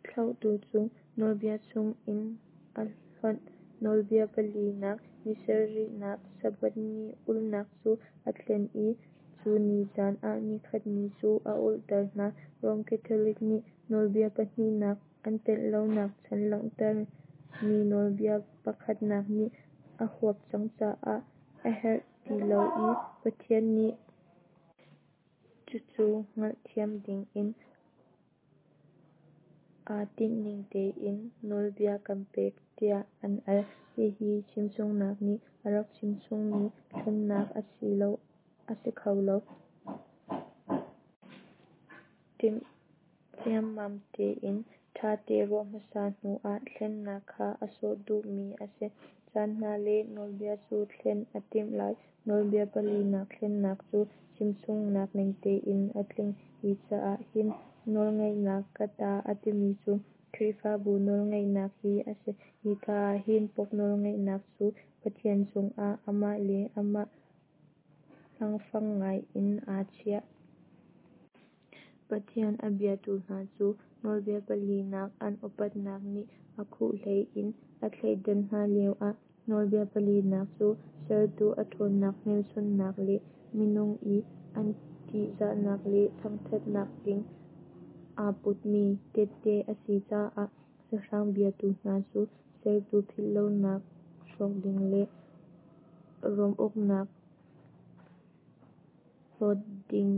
thlauhtu cu nawlbia chungin a hlonh. Nawlbia palinak nisarihnak Sabbath ni ulhnak cu a thlen i cu ni can ah nikhat ni cu a ulhter hna. Rom Catholic nih nawlbia pahnihnak an telh lonak chan langhter mi nawlbia pakhatnak nih a huap cang caah a herh ti lo i Pathian nih cucu hngalhthiam dingin aa tinhning tein nawlbia kan pek tiah an al. Hihi chimchungnak nih a rak chimchungmi thlennak a si kho lo. Timh ciammam tein ṭhate ruah hmasa hnu ah thlennak kha a sawh duhmi a si. Caan hna le nawlbia cu thlen a timh lai. Nawlbia palinak thlennak cu chimchungnak ning tein a tling. Hi caah hin nawlngeihnak ka ta a timi cu Khrihfabu nawlngeihnak hi a si. Hika ah hin Pope nawlngeihnak cu Pathian cungah amah le amah hlangfang ngai in aa chiah. Pathian a biatu hna cu nawlbia palinak an upatnak nih a khuh hlei in a thleidan hna lioah nawlbia palinak cu sertu a ṭhawnnak hmelchunhnak le minung i an ṭihzahnak le thangṭhatnak ding aa putmi tette a si caah sahrang biatu hna cu sertu philhlonak hrawk ding le Rom uknak hlawt ding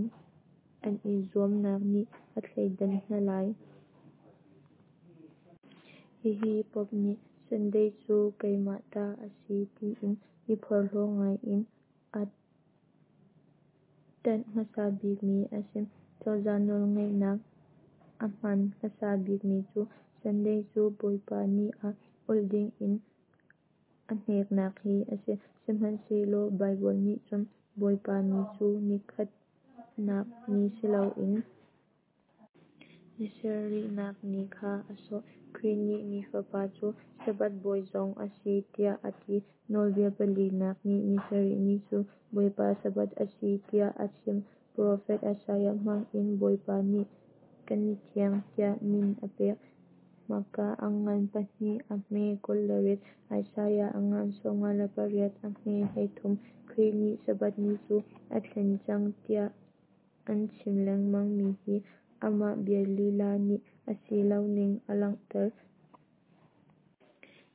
an i zuamnak nih a thleidan hna lai. Hihi Pope nih Sunday cu keimah ta a si tiin i phorhlaw ngai in aa ṭanh hmasa bikmi a si. Cozah nawlngeihnak a hman hmasa bikmi cu Sunday cu Bawipa ni ah ulh dingin a hneknak hi a si. Sihmanhsehlaw Baibal nih cun Bawipa ni cu nikhatnak ni siloin nisarihnak ni kha a sawh. Khrih nih Mi Fapa cu Sabbath Bawi zong a si tiah a ti. Nawlbia palinak nih nisarih ni cu Bawipa Sabbath a si tiah a chim. Profet Isaiah hmang in Bawipa nih ka ni thiang tiah min a pek. Marka a ngan 2 a hme 28, Isaiah a ngan 58 a hme 33. Khrih nih Sabbath ni cu a thlen cang tiah an chim lengmang mi hi amah bia lila nih a si loning a langhter.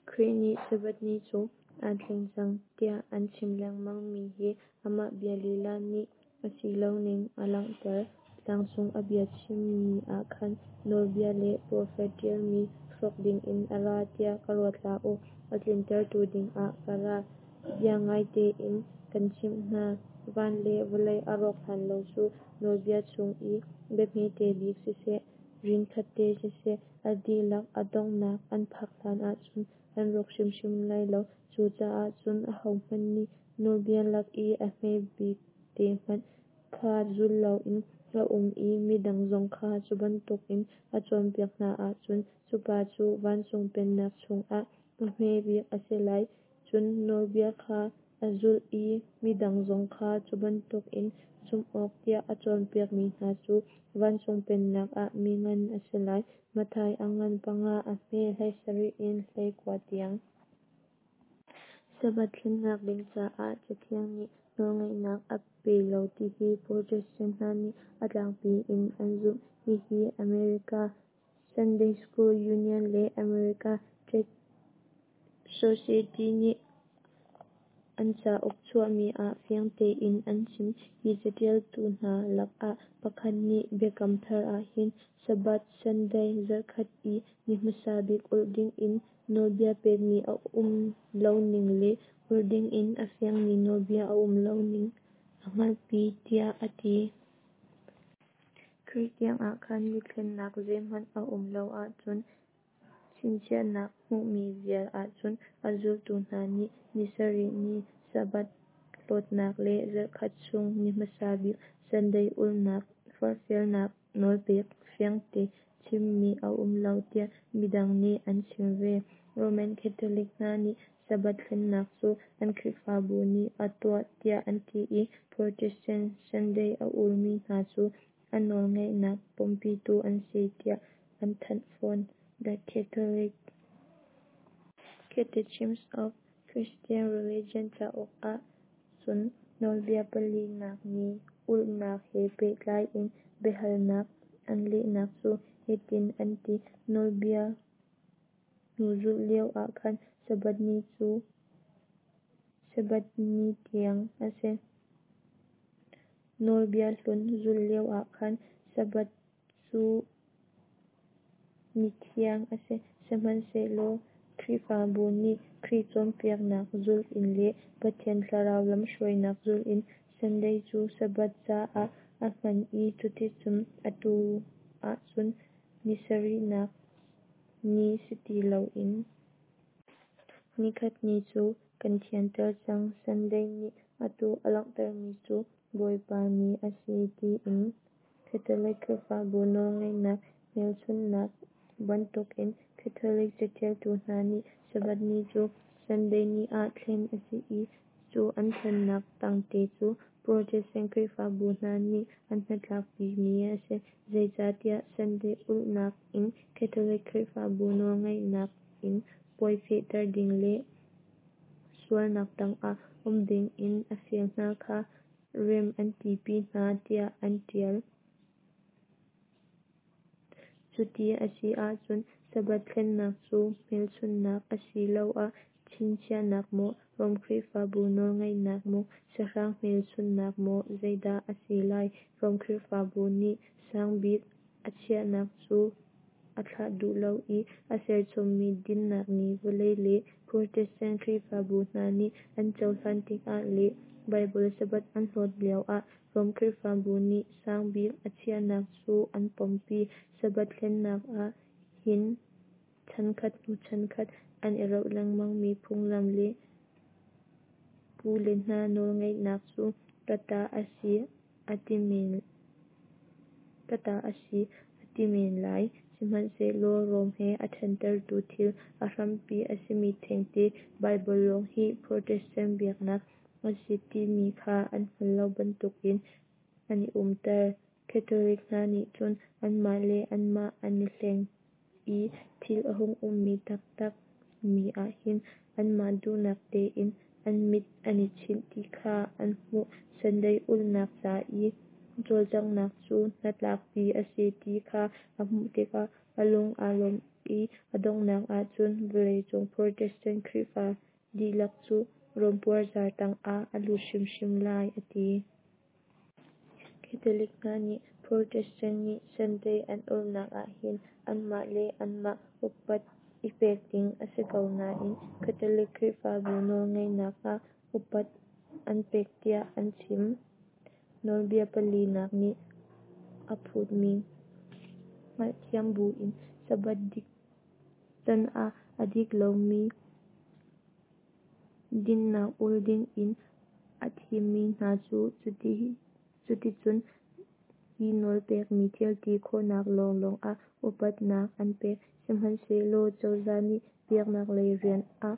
Khrih nih Sabbath ni cu aa thleng cang tiah an chim lengmang mi hi amah bia lila nih a si loning a langhter. Tlangcung a bia chimmi ah khan nawlbia le profet ṭialmi hrawk dingin ka ra tiah ruat hlah u, a tlintertu dingah ka ra. Biangaite in kan chimh hna, van le vawlei a rawk hlan lo cu nawlbia chung i bia hmete bik siseh, rin khatte siseh, a dihlak a donghnak an phak hlanah cun an rawk hrimhrim lai lo. Cucaah cun ahohmanh nih nawlbia lak i a hme bikte hmanh kha zul loin a um i midang zong kha cu bantukin a cawnpiak hna ahcun, cu pa cu vancung pennak chungah a hme bik a si lai. Cun nawlbia kha a zulh i midang zong kha cu bantukin zumh awk tiah a cawnpiakmi hna cu vancung pennak ah mi ngan a si lai. Matthai a ngan 5 a hme 17 in 19 tiang. Sabbath thlennak ding caah Cathiang nih nawlngeihnak a pe lo tihi Protestant hna nih a tlangpi in an zumh. Hihi America Sunday School Union le American Tract Society nih. An cauk chuahmi ah fiang tein an chim. Hi catialtu hna lakah pakhat nih Biakam Thar ahhin Sabbath (Sunday, zarhkhat i ni hmasa bik) ulh dingin nawlbia pekmi a um loning le ulh dingin a fiangmi nawlbia a um loning a hngalhpi tiah a ti. Khrih tiangah khan ni thlennak zeihmanh a um lo ahcun chinchiahnak hmuhmi vial ahcun a zultu hna nih ni sarih ni Sabbath hlawtnak le zarhkhat chung ni hmasa bik Sunday ulhnak forhfialnak nawlpek fiangte chimmi a um lo tiah midang nih an chim ve. Roman Catholic hna nih Sabbath thlennak cu an Khrihfabu nih a tuah tiah an ti i Protestant Sunday a ulmi hna cu a nawlngeihnak pompitu an si tiah an thanh fawn. The Catholic Catechism of Christian Religion cauk ah cun nawlbia palinak ni ulhnak he pehtlai in biahalnak an lehnak cu hitin an ti: Nawlbia hnu zulh lio ah khan Sabbath ni cu Sabbath ni thiang a si. Nawlbia hlun zulh lio ah khan Sabbath cu ni thiang a si. Sihmanhsehlaw Khrihfabu nih Khrih cawnpiaknak zulh in le Pathian Thlarau lamhruainak zulh in Sunday cu Sabbath caah a hman i cuticun atu ahcun ni sarihnak ni si ti loin nikhat ni cu kan thianter cang. Sunday nih atu a langhtermi cu Bawipa Ni a si tiin Catholic Khrihfabu nawlngeihnak hmelchunhnak bantukin Catholic catialtu hna nih Sabbath ni cu Sunday ni ah thlen a si i cu an thlennak tangte cu Protestant Khrihfabu hna nih an hnatlakpimi a si. Zeicatiah Sunday ulhnak in Catholic Khrihfabu nawlngeihnak in puai fehter ding le sualnak tangah um dingin a fial hna kha rem an tipi hna tiah an tial. Cuti a si ahcun Sabbath thlennak cu hmelchunhnak asiloah chinchiahnak maw, Rom Khrihfabu nawlngeihnak maw, sahrang hmelchunhnak maw zeidah a si lai? Rom Khrihfabu nih sangbik a chiahnak cu a thlah duh lo i a serchommi dinnak ni vawlei le Protestant Khrihfabu hna nih an cohlan tikah le Baibal Sabbath an hlawt lioah Rom Khrihfabu nih sangbik a chiahnak cu an pompi. Sabbath thlennak ah hin chankhat hnu chankhat an i roh lengmangmi phunglam le pule hna nawlngeihnak cu ka ta a si a ti men lai. Sihmanhsehlaw Rom he a thentertu thil a hrampi a simi thengte Baibal lawng hi Protestant biaknak a si timi kha an hngal lo bantukin an i umter. Catholic hna nih cun anmah le anmah an i hleng i thil a hung ummi taktak mi ahhin anmah duhnak tein an mit an i chinh ti kha an hmuh. Sunday ulhnak ca i cawlcanghnak cu hnatlakpi a si ti kha a hmuh tikah a lung aa lawm i a donghnak ahcun vawleicung Protestant Khrihfa dihlak cu Rom puarzar tangah a lut hrimhrim lai a ti. Catholic hna nih Protestant nih Sunday an ulhnak ahhin anmah le anmah upat i pek ding a si ko nain Catholic Khrihfabu nawlngeihnak ah upat an pek tiah an chim. Nawlbia palinak nih a phutmi hngalhthiam buin Sabbath dik canah a dik lomi dinhnak ul dingin a thimmi hna cu cuticun hi nawl pekmi thil ti khawhnak lawnglawng ah upatnak an pek. Sihmanhsehlaw cozah nih biaknak lei rian ah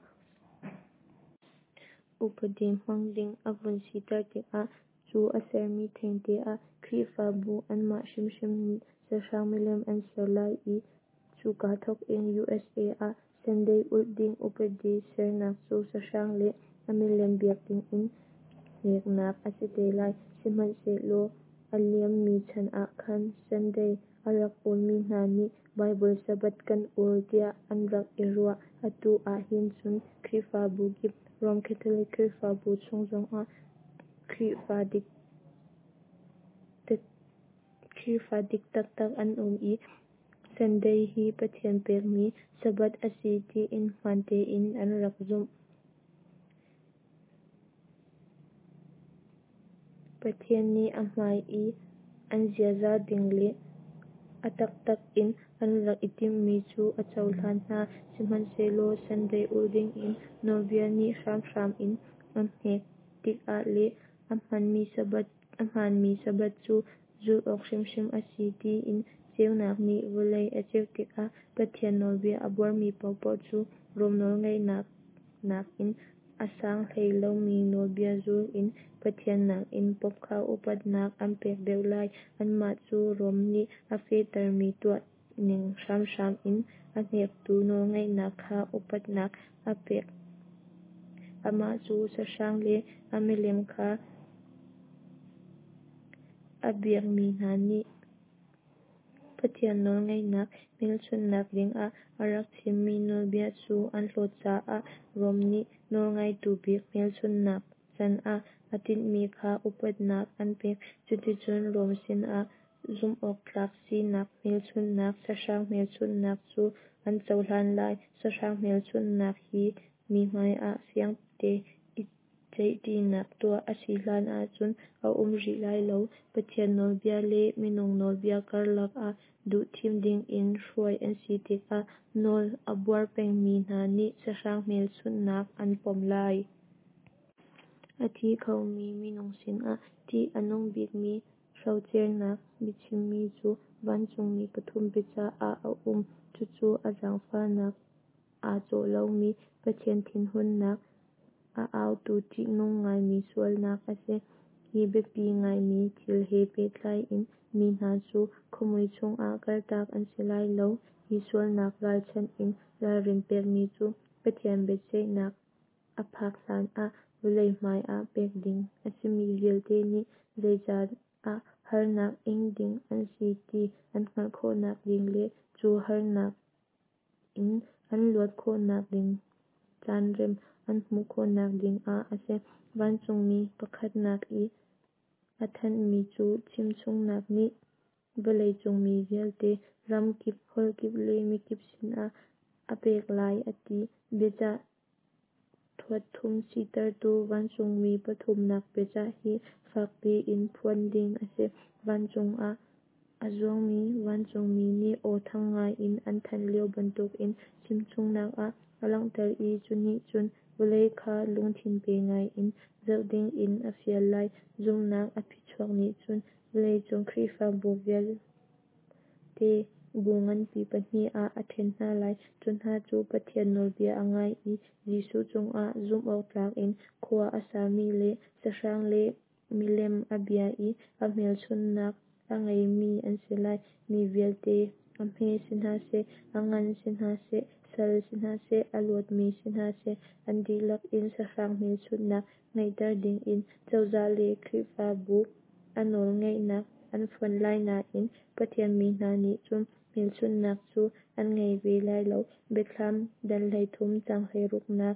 upadi hmang ding a vun siter tikah cu a sermi thengte ah Khrihfabu anmah hrimhrim nih sahrang milem an ser lai i cuka thawkin usa ah Sunday ulh ding upadi sernak cu sahrang le a milem biak dingin hneknak a si te lai. Sihmanhsehlaw a liammi chan ah khan Sunday a rak ulmi hna nih Baibal Sabbath kan ul tiah an rak i ruah. Atu ah hin cun Khrihfabu kip, Rom Catholic Khrihfabu chung zongah Khrihfa dik taktak an um i Sunday hi Pathian pekmi Sabbath a si tiin hmaan tein an rak zumh. Pathian nih a hmai i an ziaza ding le a taktak in an rak i timhmi cu a cohlan hna. Sihmanhsehlaw Sunday ulh dingin nawlbia nih hramhram in an hnek tikah le a hmaanmi Sabbath cu zulh awk hrimhrim a si tiin ceunak nih vawlei a ceuh tikah Pathian nawlbia a buarmi paohpaoh cu Rom nawlngeihnak nakin a sang hlei lomi nawlbia zul in Pathian nakin Pope kha upatnak an pek deuh lai. Anmah cu Rom nih a fehtermi tuah ning hramhram in a hnektu nawlngeihnak kha upatnak a pek. Amah cu sahrang le a milem kha a biakmi hna nih Pathian nawlngeihnak hmelchunhnak dingah a rak chimmi nawlbia cu an hlawt caah Rom nih nawlngeitu bik hmelchunhnak can ah a tinhmi kha upatnak an pek. Cuticun Rom sinah zumhawktlak sinak hmelchunhnak, sahrang hmelchunhnak cu an cohlan lai. Sahrang hmelchunhnak hi mi hmaiah fiangte i ceihṭinak tuah a si hlan ahcun a um rih lai lo. Pathian nawlbia le minung nawlbia karlak ah duhthim dingin hruai an si tikah nawl a buar pengmi hna nih sahrang hmelchunhnak an pom lai. A thi khomi minung sinah ṭih a nung bikmi hrocernak biachimmi cu vancungmi pathum biacah ah a um. Cucu a zaangfahnak aa cawh lomi Pathian thinhunnak a autu ṭihnung ngaimi sualnak a si. Hi biapi ngaimi thil he pehtlai in mi hna cu khuamui chungah kaltak an si lai lo. Hi sualnak ralchanh in ralrin pekmi cu Pathian biaceihnak a phak hlanah vawlei hmaiah pek ding a simi vialte nih zeicah harnak ing ding an si ti an hngalh khawhnak ding le cu harnak in an luat khawhnak ding caanrem an hmuh khawhnak dingah a si. Vancungmi pakhatnak i a thanhmi cu chimchungnak nih vawleicung mi vialte, ram kip, holh kip le mikip sinah a pek lai a ti. Biacah thuatthum sitertu vancungmi pathumnak biacah hi fak piin phuan ding a si. Vancung ah a zuangmi vancungmi nih aw thang ngaiin an thanh lio bantukin chimchungnak ah a langhter i cu nih cun vawlei kha lungthin pe ngaiin zoh dingin a fial lai. Zumhnak a phichuak nih cun vawleicung Khrihfabu vialte bu nganpi pahnih ah a ṭhen hna lai. Cu hna cu Pathian nawlbia a ngai i Jesuh cungah zumhawktlak in khua a sami le sahrang le milem a bia i a hmelchunhnak a ngeimi an si lai. Mi vialte, a hme si hna seh, a ngan si hna seh, sal si hna seh, a luatmi si hna seh, an dihlak in sahrang hmelchunhnak ngeihter dingin cozah le Khrihfabu a nawlngeihnak an fonh lai nain Pathian mi hna nih cun hmelchunhnak cu an ngei ve lai lo. Biathlam dal 13 caang 16nak.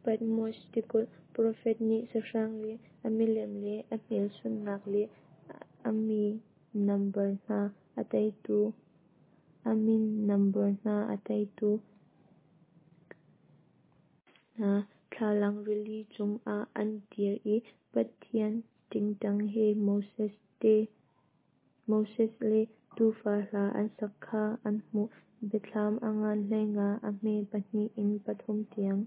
Patmos tikulh profet nih sahrang le a milem le a hmelchunhnak le a mi nambar hna a teitu a min nambar hna a teitu hna thlalang rili cungah an dir i Pathian ṭingṭang he Moses le Tuufa hla an sak kha an hmuh. Biathlam a ngan 15, a hme 2 in 3 tiang.